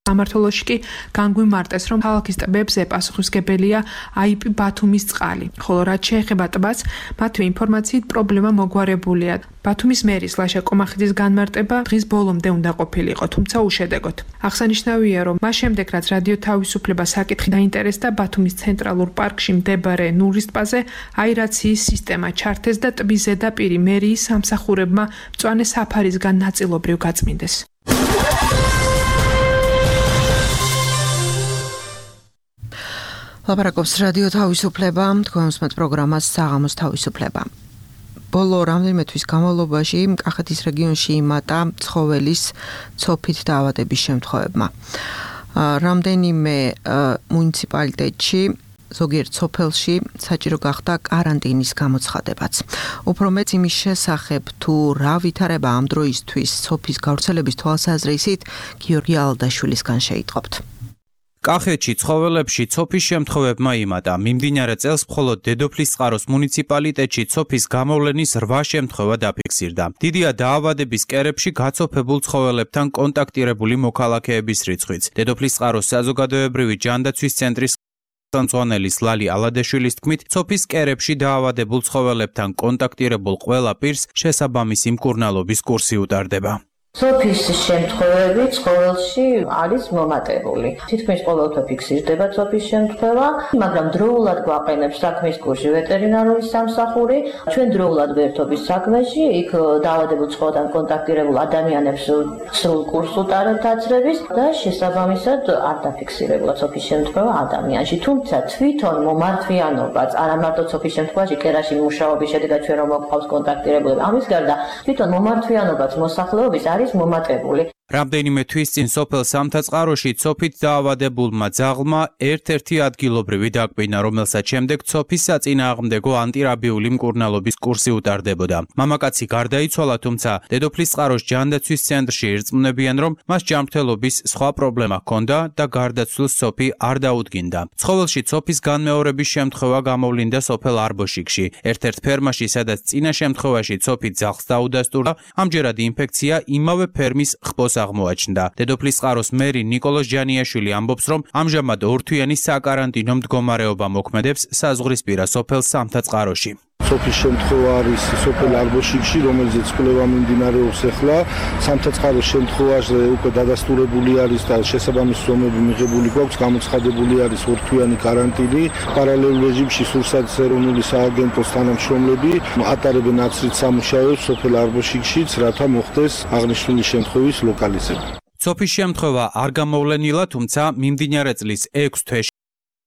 სამმართველოში კი განგვიმარტეს, რომ ქალაქის ტბებზე პასუხისმგებელია AIP ბათუმის წყალი, ხოლო რაც შეეხება ტბას, მათი ინფორმაციით პრობლემა მოგვარებულია. ბათუმის მერის ლაშა კომახიძის განმარტება დღის ბოლომდე უნდა ყოფილიყო, თუმცა უშედეგოდ. აღსანიშნავია, რომ მას შემდეგ, რაც რადიო თავისუფლება საკითხი დაინტერესდა, ბათუმის ცენტრალურ პარკში მდებარე ნურის ტბაზე აერაციის სისტემა ჩართეს და ტბის ზედაპირი მერიის სამსახურებმა მწვანე საფარისგან ნაწილობრივ გაწმინდეს. ლაპარაკობს რადიო თავისუფლება, თქვენსმეთ პროგრამას საღამოს თავისუფლება. ბოლო რამდენიმე თვის განმავლობაში კახეთის რეგიონში იმატა ცხოველის ცოფით დაავადების შემთხვევებმა. რამდენიმე მუნიციპალიტეტში ზოგიერთ სოფელში საჭირო გახდა კარანტინის გამოცხადებაც. უფრო მეც იმის შესახებ, თუ რა ვითარება ამ დროისთვის სოფის გავრცელების თვალსაზრისით, გიორგი ალდაშვილისგან შეიტყობთ. კახეთში ცხოველებში ცოფის შემთხვევებმა იმატა. მიმდინარე წელს მხოლოდ დედოფლისწყაროს მუნიციპალიტეტში ცოფის გამოვლენის 8 შემთხვევა დაფიქსირდა. დიდია დაავადების კერებში გაცოფებულ ცხოველებთან კონტაქტირებული მოქალაქეების რიცხვიც. დედოფლისწყაროს საზოგადოებრივი ჯანდაცვის ცენტრის ხელმძღვანელის ლალი ალადაშვილის თქმით, ცოფის კერებში დაავადებულ ცხოველებთან კონტაქტირებულ ყველა პირს შესაბამისი მკურნალობის კურსი უტარდება. სოფის შემთხვევები ცხოველში არის მომატებული. თითქმის ყოველთვის ფიქსირდება სოფის შემთხვევა, მაგრამ დროულად გვაყენებს საქმის კურსი ვეტერინარული სამსახური. ჩვენ დროულად ვერთობის საქმეში, იქ დაავადებულ ცხოველთან კონტაქტირებულ ადამიანებს სრულ კურსს უტარებთ დაცრების და შესაბამისად არ დაფიქსირებულა სოფის შემთხვევა ადამიანში. თუმცა თვითონ მომართვიანობაც არა მარტო სოფის შემთხვევაში კერაში მუშაობის შედეგად ჩვენ რომ მოყავს კონტაქტირებულები. ამის გარდა თვითონ მომართვიანობაც მოსახლეობის არის მომატებული. რამდენიმე თვის წინ სოფელ სამთაწყაროში ცოფით დაავადებულმა ძაღლმა ერთ-ერთი ადგილობრივი დაკბინა, რომელსაც შემდეგ ცოფის საწინააღმდეგო ანტირაბიული მკურნალობის კურსი უტარდებოდა. მამაკაცი გარდაიცვალა, თუმცა დედოფლის წყაროს ჯანდაცვის ცენტრში ირწმუნებიან, რომ მას ჯანმრთელობის სხვა პრობლემა ჰქონდა და გარდაცვლილს ცოფი არ დაუდგინდა. ცხოველში ცოფის განმეორების შემთხვევა გამოვლინდა სოფელ არბოშიკში, ერთ-ერთ ფერმაში, სადაც წინა შემთხვევაში ცოფი ძაღლს დაუდასტურდა, ამჯერად ინფექცია იმავე ფერმის ხბოს აღმოაჩნდა. დედოფლის წყაროს მერი ნიკოლოზ ჯანიაშვილი ამბობს, რომ ამჟამად ორთვიანი საკარანტინო მდგომარეობა მოქმედებს საზღვრისპირა სოფელ სამთაწყაროში. სოფის შემთხვევა არის სოფელ არბოშიკში, რომელზეც კვლევა მიმდინარეობს ახლა. სამთაწყაროს შემთხვევაში უკვე დადასტურებული არის და შესაბამისი ზომები მიღებული გვაქვს, გამოცხადებული არის ორთვიანი კარანტინი. პარალელურ რეჟიმში სურსათის ეროვნული სააგენტოს თანამშრომლები ატარებენ აცრით სამუშაოებს სოფელ არბოშიკშიც, რათა მოხდეს აღნიშნული შემთხვევის ლოკალიზება. ცოფის შემთხვევა არ გამოვლენილა, თუმცა მიმდინარე წლის 6 თვეში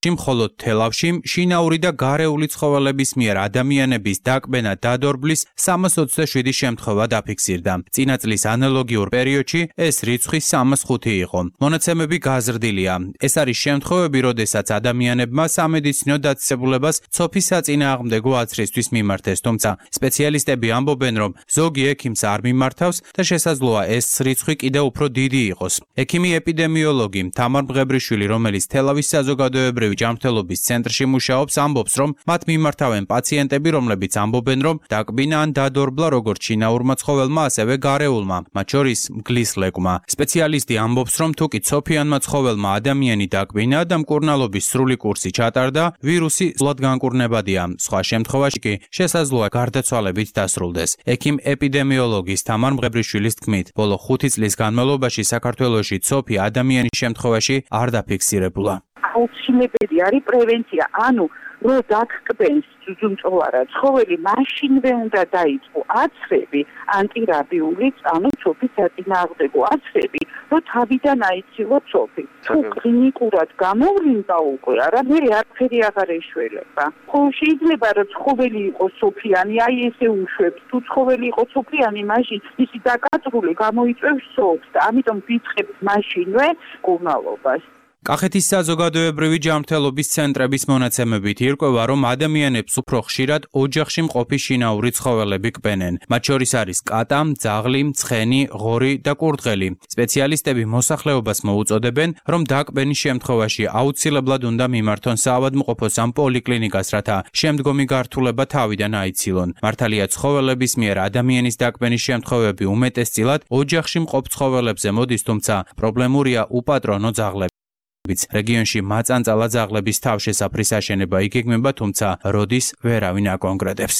მხოლოდ თელავში შინაური და გარეული ცხოველების მიერ ადამიანების დაკბენა დადორბლის 327 შემთხვევა დაფიქსირდა. წინა წლის ანალოგიურ პერიოდში ეს რიცხვი 305 იყო. მონაცემები გაზრდილია. ეს არის შემთხვევები, როდესაც ადამიანებმა სამედიცინო დაწესებულებას ცოფის საწინააღმდეგო აცრისთვის მიმართეს, თუმცა სპეციალისტები ამბობენ, რომ ზოგი ექიმს არ მიმართავს და შესაძლოა ეს რიცხვი კიდევ უფრო დიდი იყოს. ექიმი ეპიდემიოლოგი თამარ მღებრიშვილი, რომელიც თელავის საზოგადოებრივი ჯანმრთელობის ცენტრში მუშაობს, ამბობს, რომ მათ მიმართავენ პაციენტები, რომლებიც ამბობენ, რომ დაკბინა ან დადორბლა როგორც შინაურმა ცხოველმა, ასევე გარეულმა, მათ შორის მგლის ლეკმა. სპეციალისტი ამბობს, რომ თუკი ცოფიანმა ცხოველმა ადამიანი დაკბინა და მკურნალობის სრული კურსი ჩატარდა, ვირუსი სულად განკურნებადია. სხვა შემთხვევაში კი შესაძლოა გარდაცვალებით დასრულდეს. ექიმ ეპიდემიოლოგის თამარ მღებრიშვილის თქმით, ბოლო 5 წლის განმავლობაში საქართველოში ცოფი ადამიანის შემთხვევაში არ დაფიქსირებულა. აუცილებელი არის პრევენცია, ანუ რო დაგკბენს ძუძუმწოვარა ცხოველი, მაშინვე უნდა დაიწყო აცრები, ანტირაბიულიც, ანუ ცოფის საწინააღმდეგო აცრები, რო თავიდან აიცილო ცოფი. თუ კლინიკურად გამოვლინდა უკვე, არაფერი აღარ ეშველება. ხო, შეიძლება რომ ცხოველი იყოს სოფიანი, აი ესე უშვებს. თუ ცხოველი იყოს სოფიანი, მაშინ ისი დაკაწრული გამოიწვევს სოფს და ამიტომ ვიწყებთ მაშინვე მკურნალობას. კახეთის საზოგადოებრივი ჯანმრთელობის ცენტრების მონაცემებით ირკვევა, რომ ადამიანებს უფრო ხშირად ოჯახში მყოფი შინაური ცხოველები კბენენ. მათ შორის არის კატა, ძაღლი, ცხენი, ღორი და კურდღელი. სპეციალისტები მოსახლეობას მოუწოდებენ, რომ დაკბენის შემთხვევაში აუცილებლად უნდა მიმართონ საავადმყოფოს ან პოლიკლინიკას, რათა შემდგომი გართულება თავიდან აიცილონ. მართალია ცხოველების მიერ ადამიანის დაკბენის შემთხვევები უმეტესწილად ოჯახში მყოფ ცხოველებზე მოდის, თუმცა პრობლემურია უპატრონო ძაღლები. რეგიონში მაწანწალა ძაღლების თავშესაფრის აშენება იგეგმება, თუმცა როდის ვერავინ აკონკრეტებს.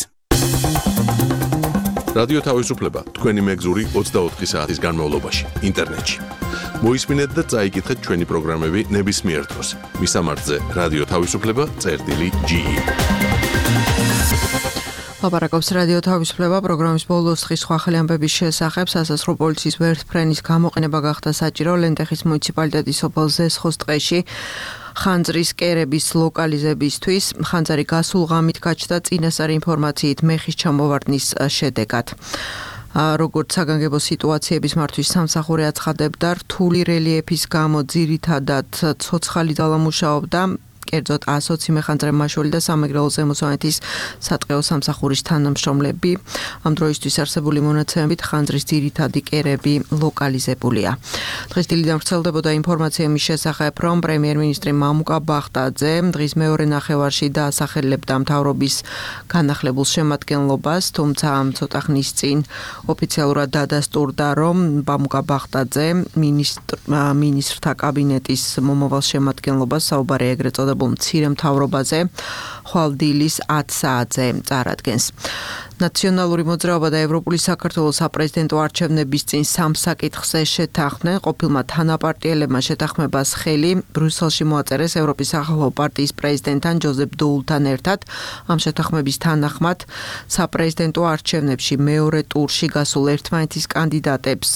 რადიო თავისუფლება თქვენი მეგზური 24 საათის განმავლობაში ინტერნეტში. მოისმინეთ და წაიკითხეთ ჩვენი პროგრამები ნებისმიერ დროს. მისამართზე რადიო თავისუფლება.ge. ლაპარაკობს რადიო თავისუფლება პროგრამის ბოლოს დღის სხვა ახალი ამბების შესახებ. სასაზღვრო პოლიციის ვერტფრენის გამოყენება გახდა საჭირო ლენტეხის მუნიციპალიტეტის სოფელ ზესხოს ტყეში ხანძრის კერების ლოკალიზებისთვის. ხანძარი გასულ ღამით გაჩნდა წინასწარი ინფორმაციით მეხის ჩამოვარდნის შედეგად. როგორც საგანგებო სიტუაციების მართვის სამსახური აცხადებდა, რთული რელიეფის გამო ძირითადად ცოცხალი ძალა მუშაობდა. კერძოდ 120 მეხანძრე მაშველი და სამეგრელო ზემოსვანეთის სატყეო სამსახურის თანამშრომლები. ამ დროისთვის არსებული მონაცემებით ხანძრის ძირითადი კერები ლოკალიზებულია. დღეს დილიდან ვრცელდებოდა ინფორმაცია იმის შესახებ, რომ პრემიერ-მინისტრი მამუკა ბახტაძე დღის მეორე ნახევარში დაასახელებდა მთავრობის განახლებულ შემადგენლობას, თუმცა ცოტა ხნის წინ ოფიციალურად დადასტურდა, რომ მამუკა ბახტაძე მინისტრთა კაბინეტის მომავალ შემადგენლობას საუბარი ეგრეთ წოდებულ მცირე მთავრობაზე ხვალ დილის 10 საათზე წარადგენს. ნაციონალური მოძრაობა და ევროპული საქართველოს საპრეზიდენტო არჩევნების წინ სამ საკითხზე შეთანხმდნენ. ყოფილმა თანაპარტიელებმა შეთანხმებას ხელი ბრიუსელში მოაწერეს ევროპის სახალხო პარტიის პრეზიდენტთან ჯოზეფ დოულთან ერთად. ამ შეთანხმების თანახმად საპრეზიდენტო არჩევნებში მეორე ტურში გასულ ერთმანეთის კანდიდატებს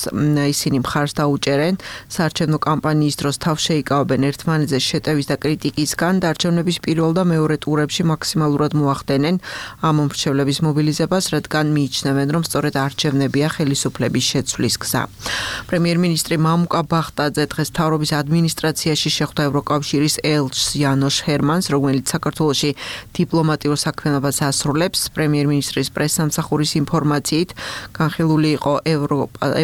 ისინი მხარს დაუჭერენ. საარჩევნო კამპანიის დროს თავს შეიკავებენ ერთმანეთზე შეტევის და კრიტიკისგან და არჩევნების პირველ და მეორე ტურებში მაქსიმალურად მოახდენენ ამ მომრჩევლების მობილიზებას, რადგან მიიჩნევენ, რომ სწორედ არჩევნებია ხელისუფლების შეცვლის გზა. პრემიერ-მინისტრი მამუკა ბახტაძე დღეს მთავრობის ადმინისტრაციაში შეხვდა ევროკავშირის ელჩს იანოშ ჰერმანს, რომელიც საქართველოში დიპლომატიურ საქმიანობას ასრულებს. პრემიერ-მინისტრის პრესსამსახურის ინფორმაციით, განხილული იყო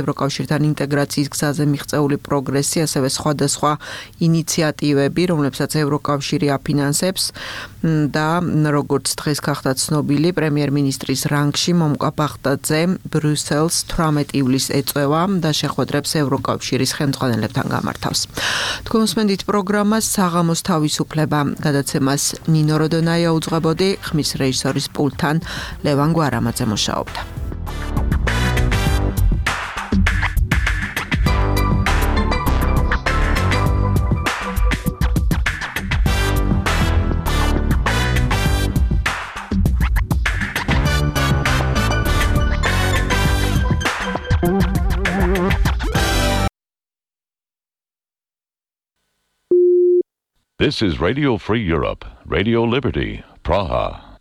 ევროკავშირთან ინტეგრაციის გზაზე მიღწეული პროგრესი, ასევე სხვადასხვა ინიციატივები, რომლებსაც ევროკავშირი აფინანსებს და როგორც დღეს გახდა ცნობილი, პრემიერ-მინისტრის რანგში მამუკა ბახტაძე ბრიუსელს 18 ივლისს ეწევა და შეხვედრებს ევროკავშირის ხელმძღვანელებთან გამართავს. თქვენ უსმენთ პროგრამას საღამოს თავისუფლება, გადაცემას ნინო როდონაია უძღვებოდი, ხმის რეჟისორის პულტთან ლევან გვარამაძე მუშაობდა. This is Radio Free Europe, Radio Liberty, Praha.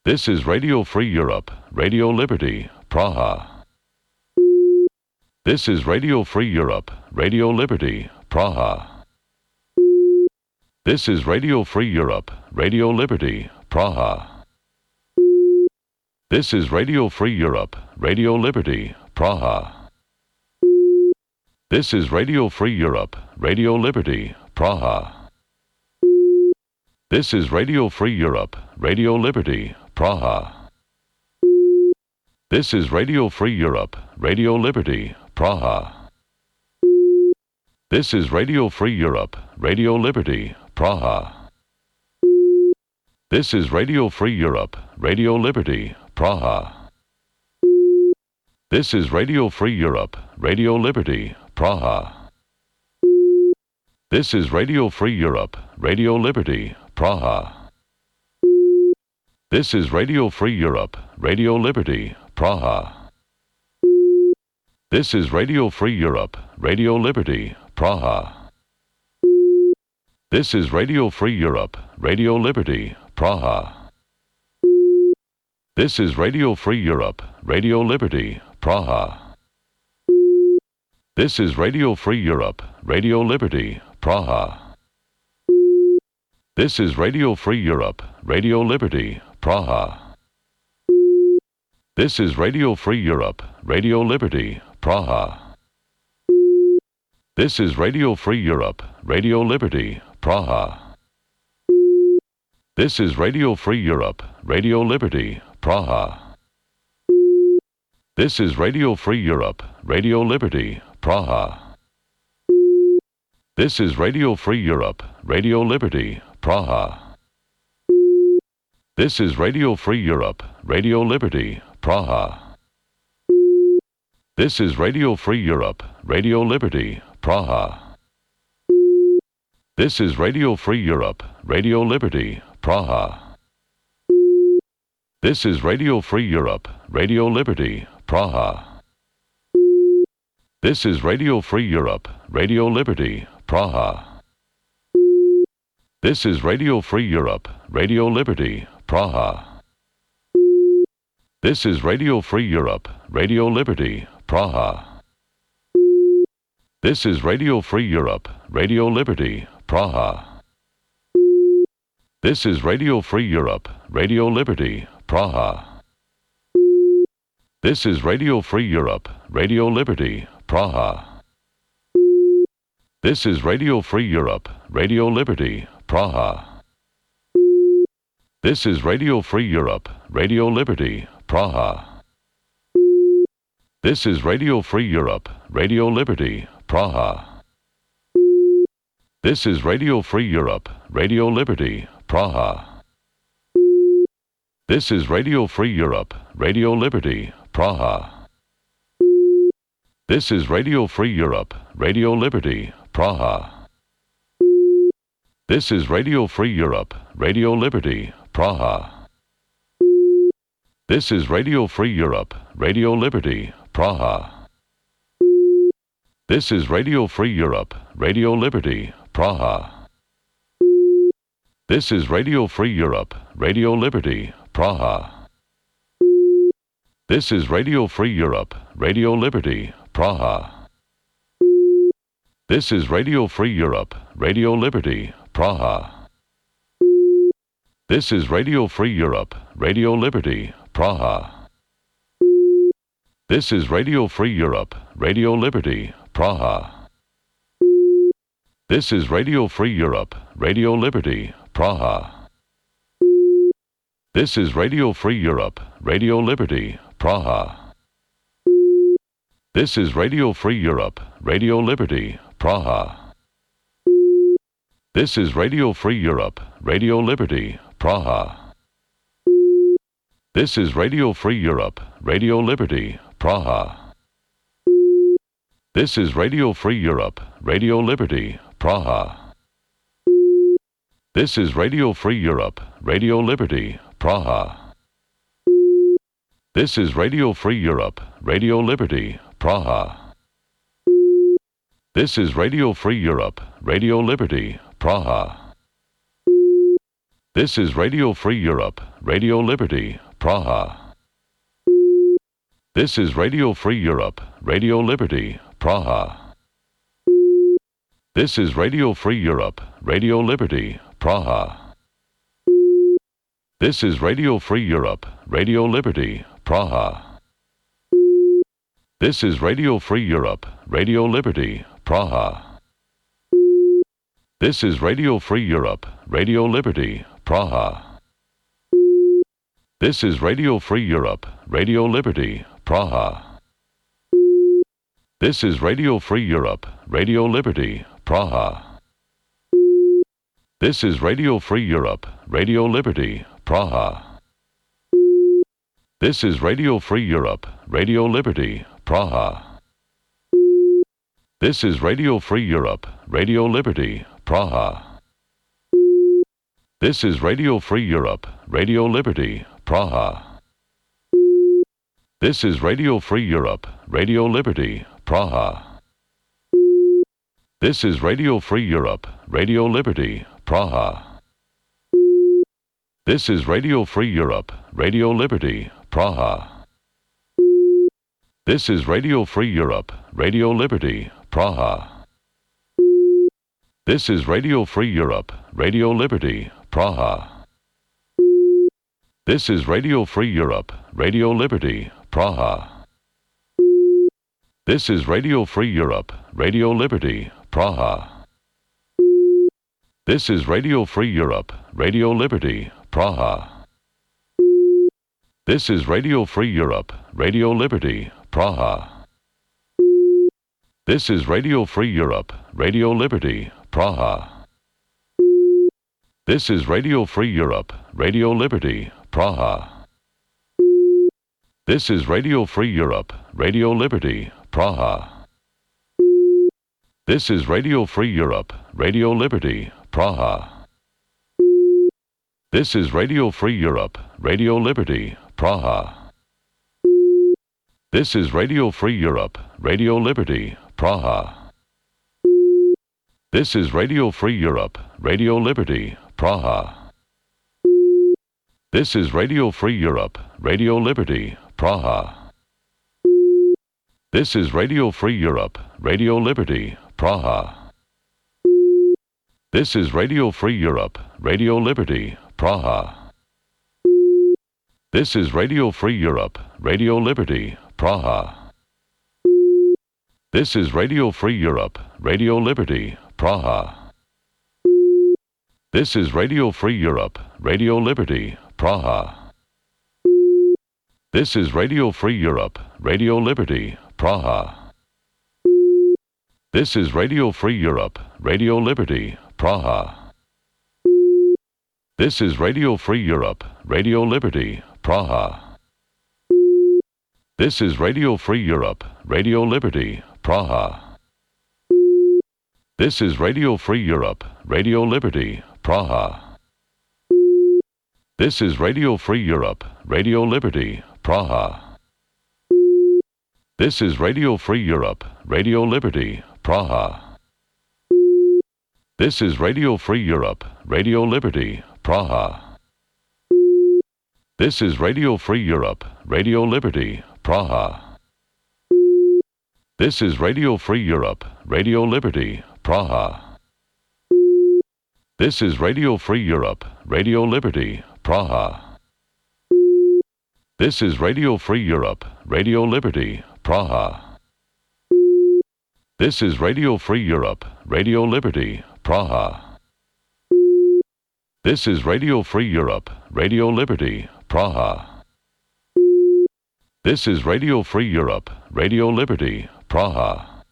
This is Radio Free Europe, Radio Liberty, Praha. This is Radio Free Europe, Radio Liberty, Praha. This is Radio Free Europe, Radio Liberty, Praha. This is Radio Free Europe, Radio Liberty, Praha. This is Radio Free Europe, Radio Liberty, Praha. This is Radio Free Europe, Radio Liberty, Praha. This is Radio Free Europe, Radio Liberty, Praha. This is Radio Free Europe, Radio Liberty, Praha. This is Radio Free Europe, Radio Liberty, Praha. This is Radio Free Europe, Radio Liberty, Praha. This is Radio Free Europe, Radio Liberty, Praha. This is Radio Free Europe, Radio Liberty, Praha. This is Radio Free Europe, Radio Liberty, Praha. This is Radio Free Europe, Radio Liberty, Praha. This is Radio Free Europe, Radio Liberty, Praha. This is Radio Free Europe, Radio Liberty, Praha. This is Radio Free Europe, Radio Liberty, Praha. This is Radio Free Europe, Radio Liberty, Praha. This is Radio Free Europe, Radio Liberty, Praha. This is Radio Free Europe, Radio Liberty, Praha. This is Radio Free Europe, Radio Liberty, Praha. This is Radio Free Europe, Radio Liberty, Praha. This is Radio Free Europe, Radio Liberty, Praha. This is Radio Free Europe, Radio Liberty, Praha. This is Radio Free Europe, Radio Liberty, Praha. This is Radio Free Europe, Radio Liberty, Praha. This is Radio Free Europe, Radio Liberty, Praha. This is Radio Free Europe, Radio Liberty, Praha. This is Radio Free Europe, Radio Liberty, Praha. This is Radio Free Europe, Radio Liberty, Praha. This is Radio Free Europe, Radio Liberty, Praha. This is Radio Free Europe, Radio Liberty, Praha. This is Radio Free Europe, Radio Liberty, Praha. This is Radio Free Europe, Radio Liberty, Praha. This is Radio Free Europe, Radio Liberty, Praha. This is Radio Free Europe, Radio Liberty, Praha. This is Radio Free Europe, Radio Liberty, Praha. This is Radio Free Europe, Radio Liberty, Praha. This is Radio Free Europe, Radio Liberty, Praha. This is Radio Free Europe, Radio Liberty, Praha. This is Radio Free Europe, Radio Liberty, Praha. This is Radio Free Europe, Radio Liberty, Praha. This is Radio Free Europe, Radio Liberty, Praha. This is Radio Free Europe, Radio Liberty, Praha. This is Radio Free Europe, Radio Liberty, Praha. This is Radio Free Europe, Radio Liberty, Praha. This is Radio Free Europe, Radio Liberty, Praha. This is Radio Free Europe, Radio Liberty, Praha. This is Radio Free Europe, Radio Liberty, Praha. This is Radio Free Europe, Radio Liberty, Praha. This is Radio Free Europe, Radio Liberty, Praha. This is Radio Free Europe, Radio Liberty, Praha. This is Radio Free Europe, Radio Liberty, Praha. This is Radio Free Europe, Radio Liberty, Praha. This is Radio Free Europe, Radio Liberty, Praha. This is Radio Free Europe, Radio Liberty, Praha. This is Radio Free Europe, Radio Liberty, Praha. This is Radio Free Europe, Radio Liberty, Praha. This is Radio Free Europe, Radio Liberty, Praha. This is Radio Free Europe, Radio Liberty, Praha. This is Radio Free Europe, Radio Liberty, Praha. This is Radio Free Europe, Radio Liberty, Praha. This is Radio Free Europe, Radio Liberty, Praha. This is Radio Free Europe, Radio Liberty, Praha. This is Radio Free Europe, Radio Liberty, Praha. This is Radio Free Europe, Radio Liberty, Praha. This is Radio Free Europe, Radio Liberty, Praha. This is Radio Free Europe, Radio Liberty, Praha. This is Radio Free Europe, Radio Liberty, Praha. This is Radio Free Europe, Radio Liberty, Praha. This is Radio Free Europe, Radio Liberty, Praha. This is Radio Free Europe, Radio Liberty, Praha. This is Radio Free Europe, Radio Liberty, Praha. This is Radio Free Europe, Radio Liberty, Praha. This is Radio Free Europe, Radio Liberty, Praha. This is Radio Free Europe, Radio Liberty, Praha. This is Radio Free Europe, Radio Liberty, Praha. This is Radio Free Europe, Radio Liberty, Praha. This is Radio Free Europe, Radio Liberty, Praha. This is Radio Free Europe, Radio Liberty, Praha. This is Radio Free Europe, Radio Liberty, Praha. This is Radio Free Europe, Radio Liberty, Praha. This is Radio Free Europe, Radio Liberty, Praha. This is Radio Free Europe, Radio Liberty, Praha. This is Radio Free Europe, Radio Liberty, Praha. This is Radio Free Europe, Radio Liberty, Praha. This is Radio Free Europe, Radio Liberty, Praha. This is Radio Free Europe, Radio Liberty, Praha. This is Radio Free Europe, Radio Liberty, Praha. This is Radio Free Europe, Radio Liberty, Praha. This is Radio Free Europe, Radio Liberty, Praha. This is Radio Free Europe, Radio Liberty, Praha. This is Radio Free Europe, Radio Liberty, Praha. This is Radio Free Europe, Radio Liberty, Praha. This is Radio Free Europe, Radio Liberty, Praha. This is Radio Free Europe, Radio Liberty, Praha. This is Radio Free Europe, Radio Liberty, Praha. This is Radio Free Europe, Radio Liberty, Praha. This is Radio Free Europe, Radio Liberty, Praha. This is Radio Free Europe, Radio Liberty, Praha. This is Radio Free Europe, Radio Liberty, Praha. This is Radio Free Europe, Radio Liberty, Praha. This is Radio Free Europe, Radio Liberty, Praha. This is Radio Free Europe, Radio Liberty, Praha.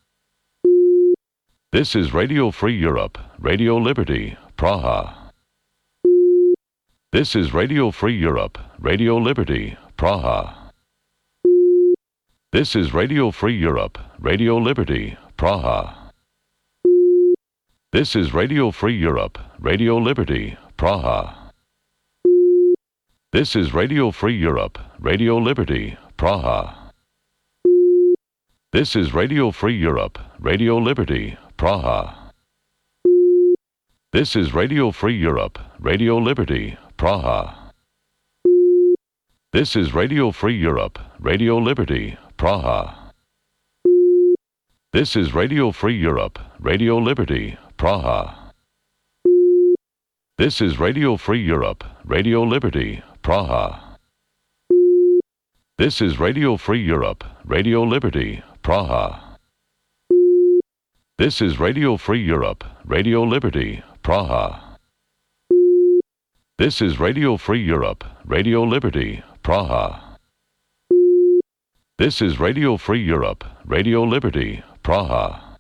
This is Radio Free Europe, Radio Liberty, Praha. This is Radio Free Europe, Radio Liberty, Praha. This is Radio Free Europe, Radio Liberty, Praha. This is Radio Free Europe, Radio Liberty, Praha. This is Radio Free Europe, Radio Liberty, Praha. This is Radio Free Europe, Radio Liberty, Praha. This is Radio Free Europe, Radio Liberty, Praha. This is Radio Free Europe, Radio Liberty, Praha. This is Radio Free Europe, Radio Liberty, Praha. This is Radio Free Europe, Radio Liberty, Praha. This is Radio Free Europe, Radio Liberty, Praha. This is Radio Free Europe, Radio Liberty, Praha. This is Radio Free Europe, Radio Liberty, Praha. This is Radio Free Europe, Radio Liberty, Praha.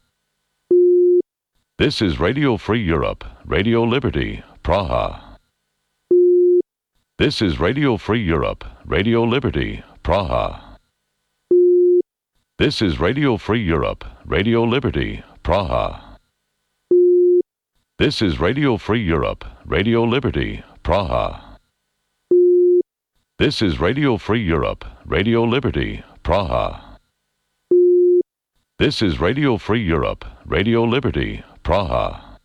This is Radio Free Europe, Radio Liberty, Praha. This is Radio Free Europe, Radio Liberty, Praha. This is Radio Free Europe, Radio Liberty, Praha. This is Radio Free Europe, Radio Liberty, Praha. This is Radio Free Europe, Radio Liberty, Praha. This is Radio Free Europe, Radio Liberty, Praha.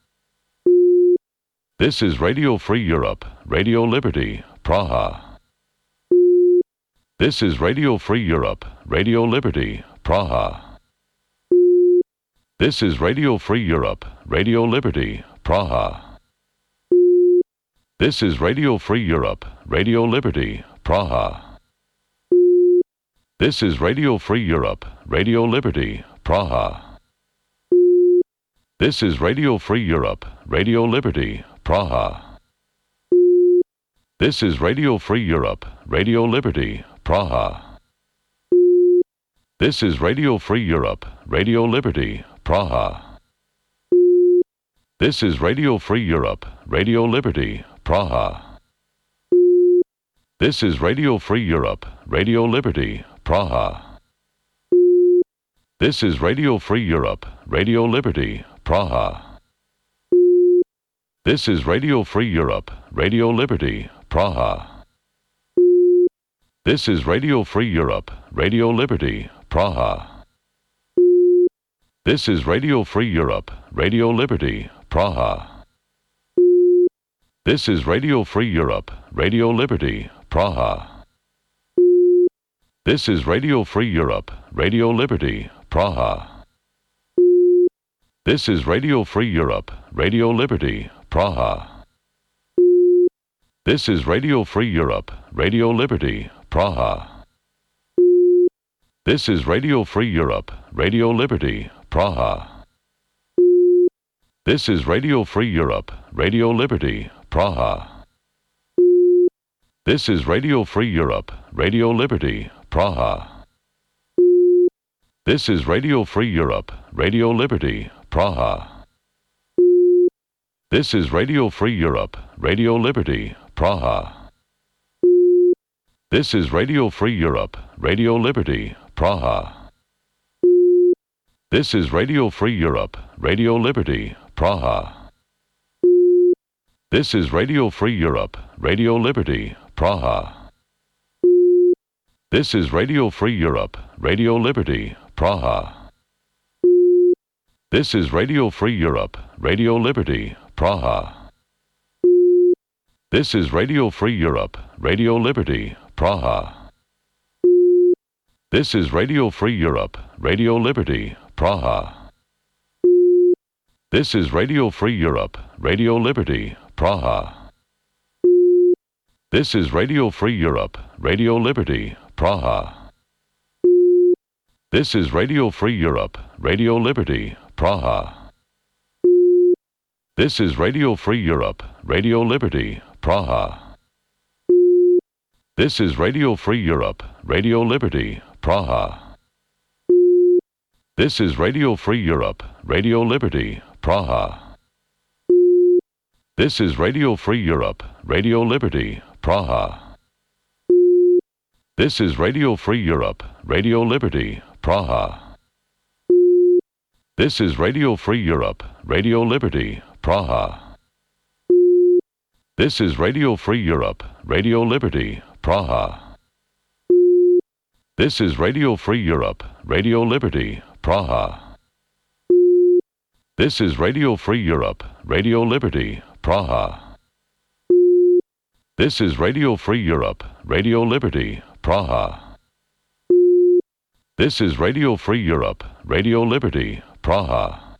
This is Radio Free Europe, Radio Liberty, Praha. This is Radio Free Europe, Radio Liberty, Praha. This is Radio Free Europe, Radio Liberty, Praha. This is Radio Free Europe, Radio Liberty, Praha. This is Radio Free Europe, Radio Liberty, Praha. This is Radio Free Europe, Radio Liberty, Praha. This is Radio Free Europe, Radio Liberty, Praha. This is Radio Free Europe, Radio Liberty, Praha. This is Radio Free Europe, Radio Liberty, Praha. This is Radio Free Europe, Radio Liberty, Praha. This is Radio Free Europe, Radio Liberty, Praha. This is Radio Free Europe, Radio Liberty, Praha. This is Radio Free Europe, Radio Liberty, Praha. This is Radio Free Europe, Radio Liberty, Praha. This is Radio Free Europe, Radio Liberty, Praha. This is Radio Free Europe, Radio Liberty, Praha. This is Radio Free Europe, Radio Liberty, Praha. This is Radio Free Europe, Radio Liberty, Praha. This is Radio Free Europe, Radio Liberty, Praha. This is Radio Free Europe, Radio Liberty, Praha. This is Radio Free Europe, Radio Liberty, Praha. This is Radio Free Europe, Radio Liberty, Praha. This is Radio Free Europe, Radio Liberty, Praha. This is Radio Free Europe, Radio Liberty, Praha. This is Radio Free Europe, Radio Liberty, Praha. This is Radio Free Europe, Radio Liberty, Praha. This is Radio Free Europe, Radio Liberty, Praha. This is Radio Free Europe, Radio Liberty, Praha. This is Radio Free Europe, Radio Liberty, Praha. This is Radio Free Europe, Radio Liberty, Praha. This is Radio Free Europe, Radio Liberty, Praha. This is Radio Free Europe, Radio Liberty, Praha. This is Radio Free Europe, Radio Liberty, Praha. This is Radio Free Europe, Radio Liberty, Praha. This is Radio Free Europe, Radio Liberty, Praha. This is Radio Free Europe, Radio Liberty, Praha. This is Radio Free Europe, Radio Liberty, Praha. This is Radio Free Europe, Radio Liberty, Praha. This is Radio Free Europe, Radio Liberty, Praha. This is Radio Free Europe, Radio Liberty, Praha. This is Radio Free Europe, Radio Liberty, Praha. This is Radio Free Europe, Radio Liberty, Praha. This is Radio Free Europe, Radio Liberty, Praha. This is Radio Free Europe, Radio Liberty, Praha.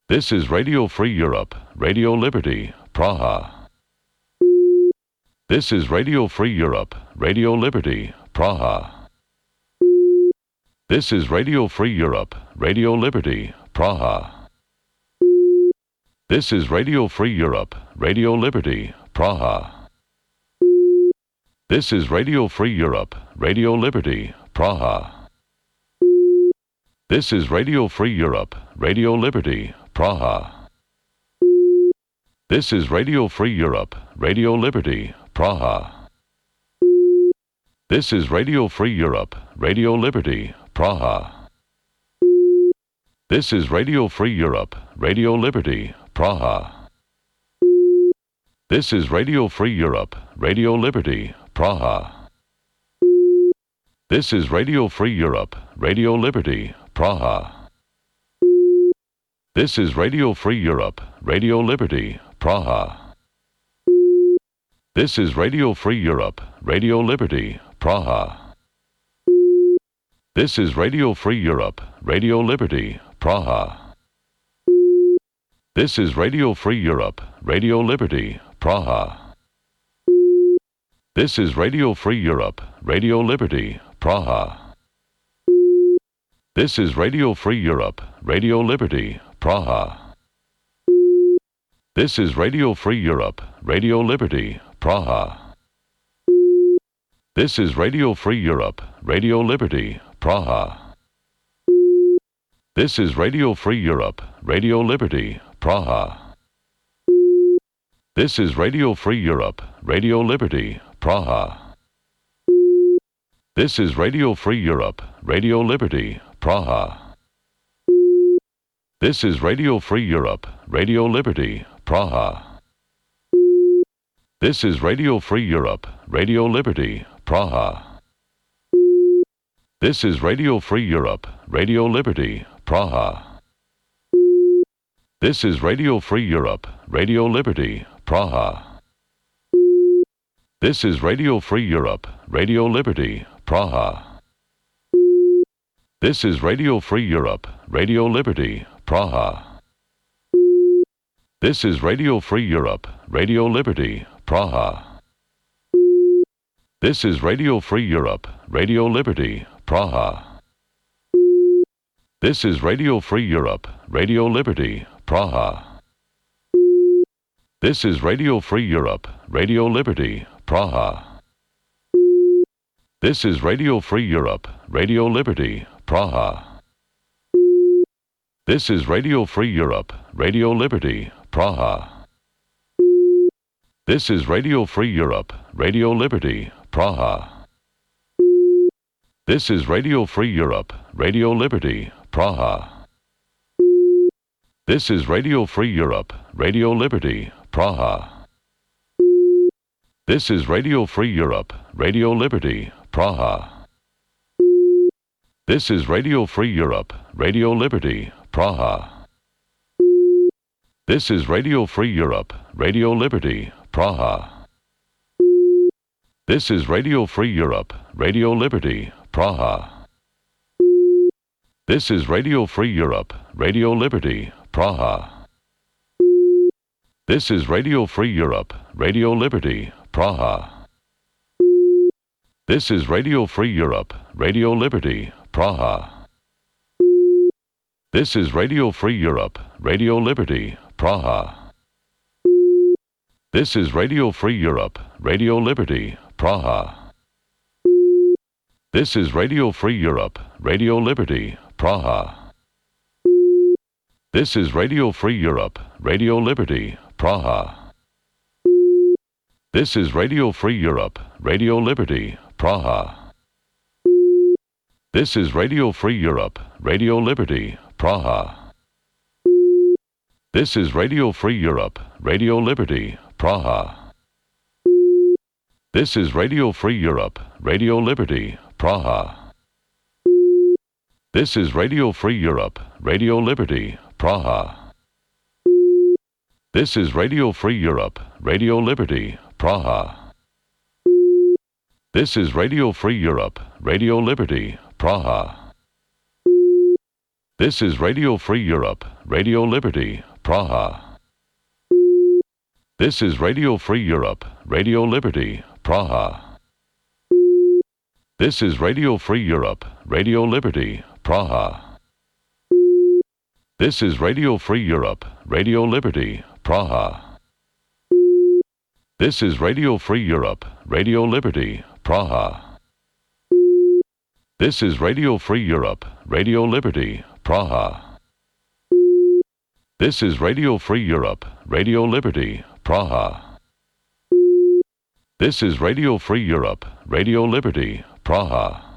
This is Radio Free Europe, Radio Liberty, Praha. This is Radio Free Europe, Radio Liberty, Praha. This is Radio Free Europe, Radio Liberty, Praha. This is Radio Free Europe, Radio Liberty, Praha. This is Radio Free Europe, Radio Liberty, Praha. This is Radio Free Europe, Radio Liberty, Praha. This is Radio Free Europe, Radio Liberty, Praha. This is Radio Free Europe, Radio Liberty, Praha. This is Radio Free Europe, Radio Liberty, Praha. This is Radio Free Europe, Radio Liberty, Praha. This is Radio Free Europe, Radio Liberty, Praha. This is Radio Free Europe, Radio Liberty, Praha. This is Radio Free Europe, Radio Liberty, Praha. This is Radio Free Europe, Radio Liberty, Praha. This is Radio Free Europe, Radio Liberty, Praha. This is Radio Free Europe, Radio Liberty, Praha. This is Radio Free Europe, Radio Liberty, Praha. This is Radio Free Europe, Radio Liberty, Praha. This is Radio Free Europe, Radio Liberty, Praha. This is Radio Free Europe, Radio Liberty, Praha. This is Radio Free Europe, Radio Liberty, Praha. This is Radio Free Europe, Radio Liberty, Praha. This is Radio Free Europe, Radio Liberty, Praha. This is Radio Free Europe, Radio Liberty, Praha. This is Radio Free Europe, Radio Liberty, Praha. This is Radio Free Europe, Radio Liberty, Praha. This is Radio Free Europe, Radio Liberty, Praha. This is Radio Free Europe, Radio Liberty, Praha. This is Radio Free Europe, Radio Liberty, Praha. This is Radio Free Europe, Radio Liberty, Praha. This is Radio Free Europe, Radio Liberty, Praha. This is Radio Free Europe, Radio Liberty, Praha. This is Radio Free Europe, Radio Liberty, Praha. This is Radio Free Europe, Radio Liberty, Praha. This is Radio Free Europe, Radio Liberty, Praha. This is Radio Free Europe, Radio Liberty, Praha. This is Radio Free Europe, Radio Liberty, Praha. This is Radio Free Europe, Radio Liberty, Praha. This is Radio Free Europe, Radio Liberty, Praha. This is Radio Free Europe, Radio Liberty, Praha. This is Radio Free Europe, Radio Liberty, Praha. This is Radio Free Europe, Radio Liberty, Praha. This is Radio Free Europe, Radio Liberty, Praha. This is Radio Free Europe, Radio Liberty, Praha. This is Radio Free Europe, Radio Liberty, Praha. This is Radio Free Europe, Radio Liberty, Praha. This is Radio Free Europe, Radio Liberty, Praha. This is Radio Free Europe, Radio Liberty, Praha. This is Radio Free Europe, Radio Liberty, Praha. This is Radio Free Europe, Radio Liberty, Praha. This is Radio Free Europe, Radio Liberty, Praha. This is Radio Free Europe, Radio Liberty, Praha. This is Radio Free Europe, Radio Liberty, Praha. This is Radio Free Europe, Radio Liberty, Praha. This is Radio Free Europe, Radio Liberty, Praha. This is Radio Free Europe, Radio Liberty, Praha. This is Radio Free Europe, Radio Liberty, Praha. This is Radio Free Europe, Radio Liberty, Praha. This is Radio Free Europe, Radio Liberty, Praha. This is Radio Free Europe, Radio Liberty, Praha. This is Radio Free Europe, Radio Liberty, Praha. This is Radio Free Europe, Radio Liberty, Praha. This is Radio Free Europe, Radio Liberty, Praha.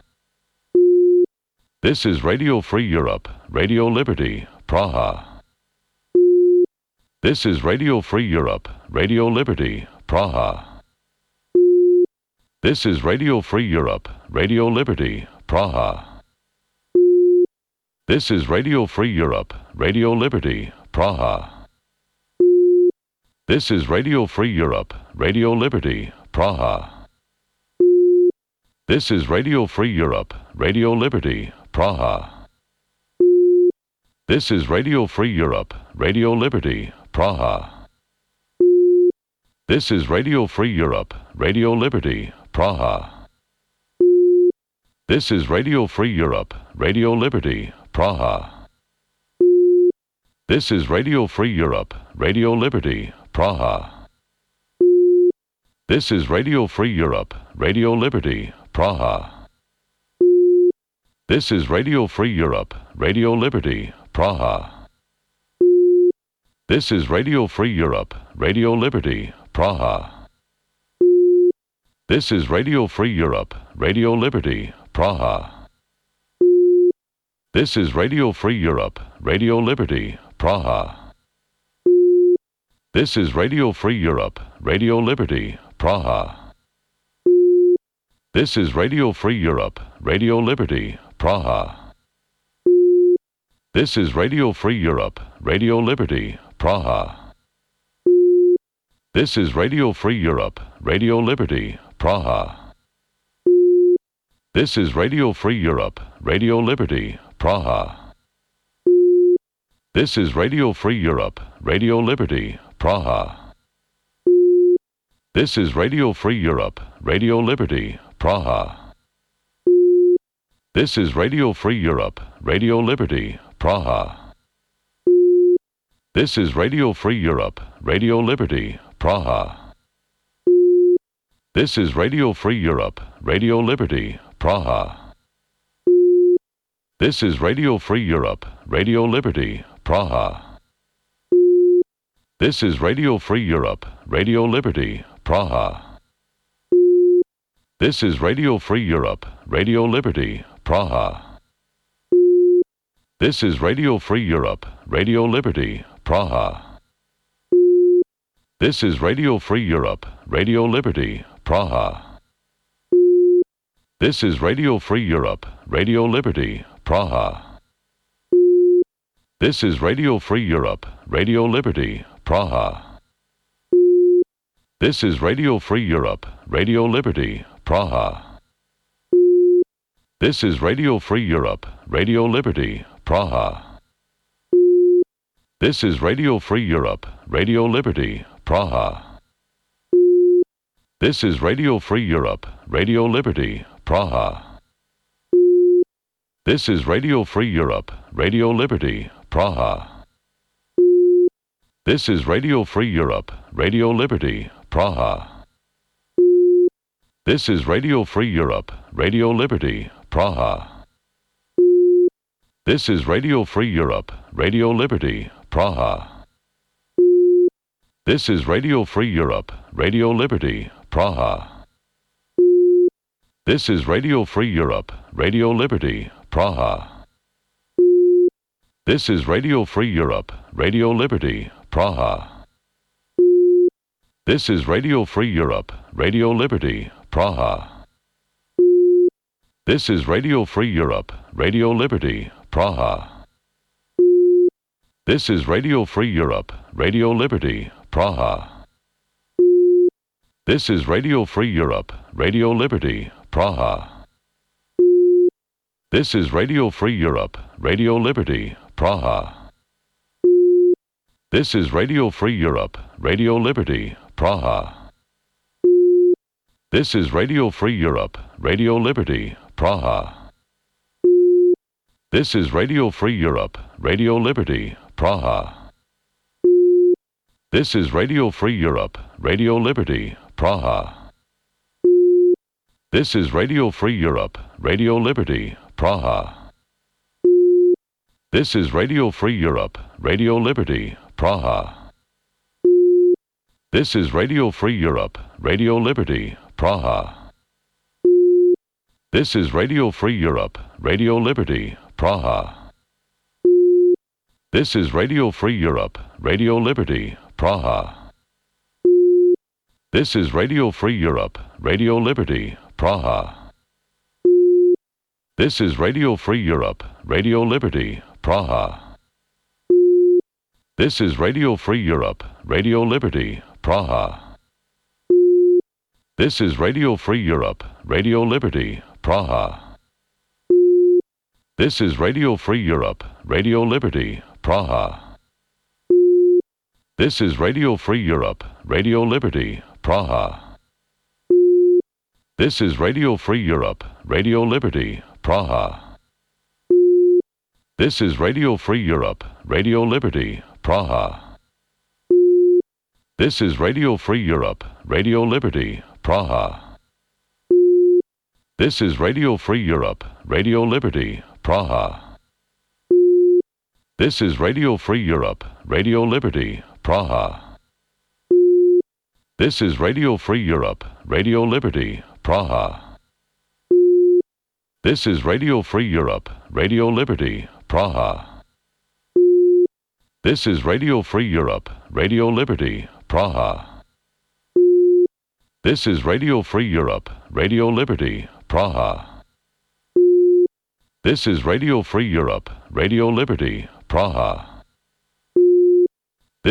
This is Radio Free Europe, Radio Liberty, Praha. This is Radio Free Europe, Radio Liberty, Praha. This is Radio Free Europe, Radio Liberty, Praha. This is Radio Free Europe, Radio Liberty, Praha. This is Radio Free Europe, Radio Liberty, Praha. This is Radio Free Europe, Radio Liberty, Praha. This is Radio Free Europe, Radio Liberty, Praha. This is Radio Free Europe, Radio Liberty, Praha. This is Radio Free Europe, Radio Liberty, Praha. This is Radio Free Europe, Radio Liberty, Praha. This is Radio Free Europe, Radio Liberty, Praha. This is Radio Free Europe, Radio Liberty, Praha. This is Radio Free Europe, Radio Liberty, Praha. This is Radio Free Europe, Radio Liberty, Praha. This is Radio Free Europe, Radio Liberty, Praha. This is Radio Free Europe, Radio Liberty, Praha. This is Radio Free Europe, Radio Liberty, Praha. This is Radio Free Europe, Radio Liberty, Praha. This is Radio Free Europe, Radio Liberty, Praha. This is Radio Free Europe, Radio Liberty, Praha. This is Radio Free Europe, Radio Liberty, Praha. This is Radio Free Europe, Radio Liberty, Praha. This is Radio Free Europe, Radio Liberty, Praha. This is Radio Free Europe, Radio Liberty, Praha. This is Radio Free Europe, Radio Liberty, Praha. This is Radio Free Europe, Radio Liberty, Praha. This is Radio Free Europe, Radio Liberty, Praha. This is Radio Free Europe, Radio Liberty, Praha. This is Radio Free Europe, Radio Liberty, Praha. This is Radio Free Europe, Radio Liberty, Praha. This is Radio Free Europe, Radio Liberty, Praha. This is Radio Free Europe, Radio Liberty, Praha. This is Radio Free Europe, Radio Liberty, Praha. This is Radio Free Europe, Radio Liberty, Praha. This is Radio Free Europe, Radio Liberty, Praha. This is Radio Free Europe, Radio Liberty, Praha. This is Radio Free Europe, Radio Liberty, Praha. This is Radio Free Europe, Radio Liberty, Praha. This is Radio Free Europe, Radio Liberty, Praha. This is Radio Free Europe, Radio Liberty, Praha. This is Radio Free Europe, Radio Liberty, Praha. This is Radio Free Europe, Radio Liberty, Praha. This is Radio Free Europe, Radio Liberty, Praha. This is Radio Free Europe, Radio Liberty, Praha. This is Radio Free Europe, Radio Liberty, Praha. This is Radio Free Europe, Radio Liberty, Praha. This is Radio Free Europe, Radio Liberty, Praha. This is Radio Free Europe, Radio Liberty, Praha. This is Radio Free Europe, Radio Liberty, Praha. This is Radio Free Europe, Radio Liberty, Praha. This is Radio Free Europe, Radio Liberty, Praha. This is Radio Free Europe, Radio Liberty, Praha. This is Radio Free Europe, Radio Liberty, Praha. This is Radio Free Europe, Radio Liberty, Praha. This is Radio Free Europe, Radio Liberty, Praha. This is Radio Free Europe, Radio Liberty, Praha. This is Radio Free Europe, Radio Liberty, Praha. This is Radio Free Europe, Radio Liberty, Praha. This is Radio Free Europe, Radio Liberty, Praha. This is Radio Free Europe, Radio Liberty, Praha. This is Radio Free Europe, Radio Liberty, Praha. This is Radio Free Europe, Radio Liberty, Praha. This is Radio Free Europe, Radio Liberty, Praha. This is Radio Free Europe, Radio Liberty, Praha. This is Radio Free Europe, Radio Liberty, Praha. This is Radio Free Europe, Radio Liberty, Praha. This is Radio Free Europe, Radio Liberty, Praha. This is Radio Free Europe, Radio Liberty, Praha. This is Radio Free Europe, Radio Liberty, Praha. This is Radio Free Europe, Radio Liberty, Praha. This is Radio Free Europe, Radio Liberty, Praha. This is Radio Free Europe, Radio Liberty, Praha. This is Radio Free Europe, Radio Liberty, Praha.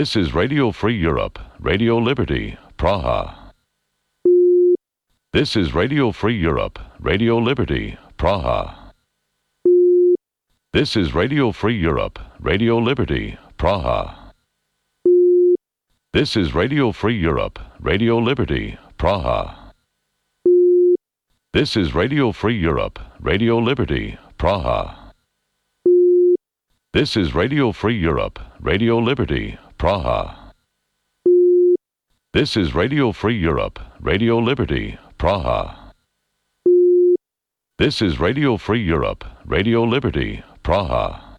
This is Radio Free Europe, Radio Liberty, Praha. This is Radio Free Europe, Radio Liberty, Praha. This is Radio Free Europe, Radio Liberty, Praha. This is Radio Free Europe, Radio Liberty, Praha. This is Radio Free Europe, Radio Liberty, Praha. This is Radio Free Europe, Radio Liberty, Praha. This is Radio Free Europe, Radio Liberty, Praha. This is Radio Free Europe, Radio Liberty, Praha.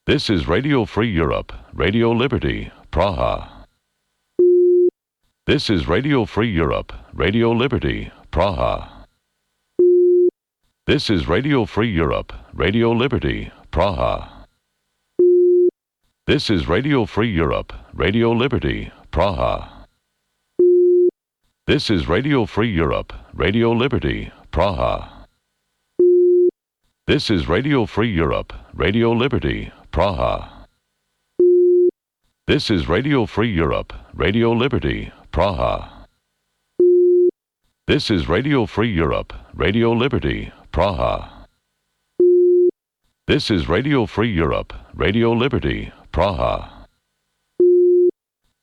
This is Radio Free Europe, Radio Liberty, Praha. This is Radio Free Europe, Radio Liberty, Praha. This is Radio Free Europe, Radio Liberty, Praha. This is Radio Free Europe, Radio Liberty, Praha. This is Radio Free Europe, Radio Liberty, Praha. This is Radio Free Europe, Radio Liberty, Praha. This is Radio Free Europe, Radio Liberty, Praha. This is Radio Free Europe, Radio Liberty, Praha. This is Radio Free Europe, Radio Liberty, Praha.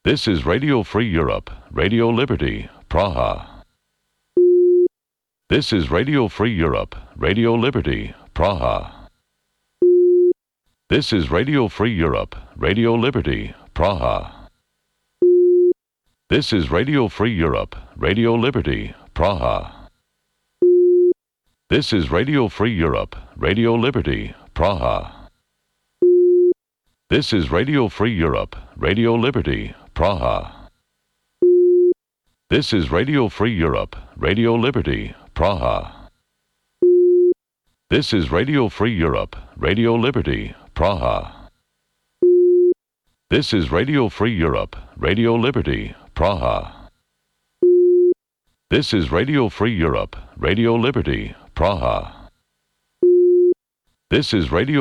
This is Radio Free Europe, Radio Liberty, Praha. This is Radio Free Europe, Radio Liberty, Praha. This is Radio Free Europe, Radio Liberty, Praha. This is Radio Free Europe, Radio Liberty, Praha. This is Radio Free Europe, Radio Liberty, Praha. This is Radio Free Europe, Radio Liberty, Praha. This is Radio Free Europe, Radio Liberty, Praha. This is Radio Free Europe, Radio Liberty, Praha. This is Radio Free Europe, Radio Liberty, Praha. This is Radio Free Europe, Radio Liberty, Praha. This is Radio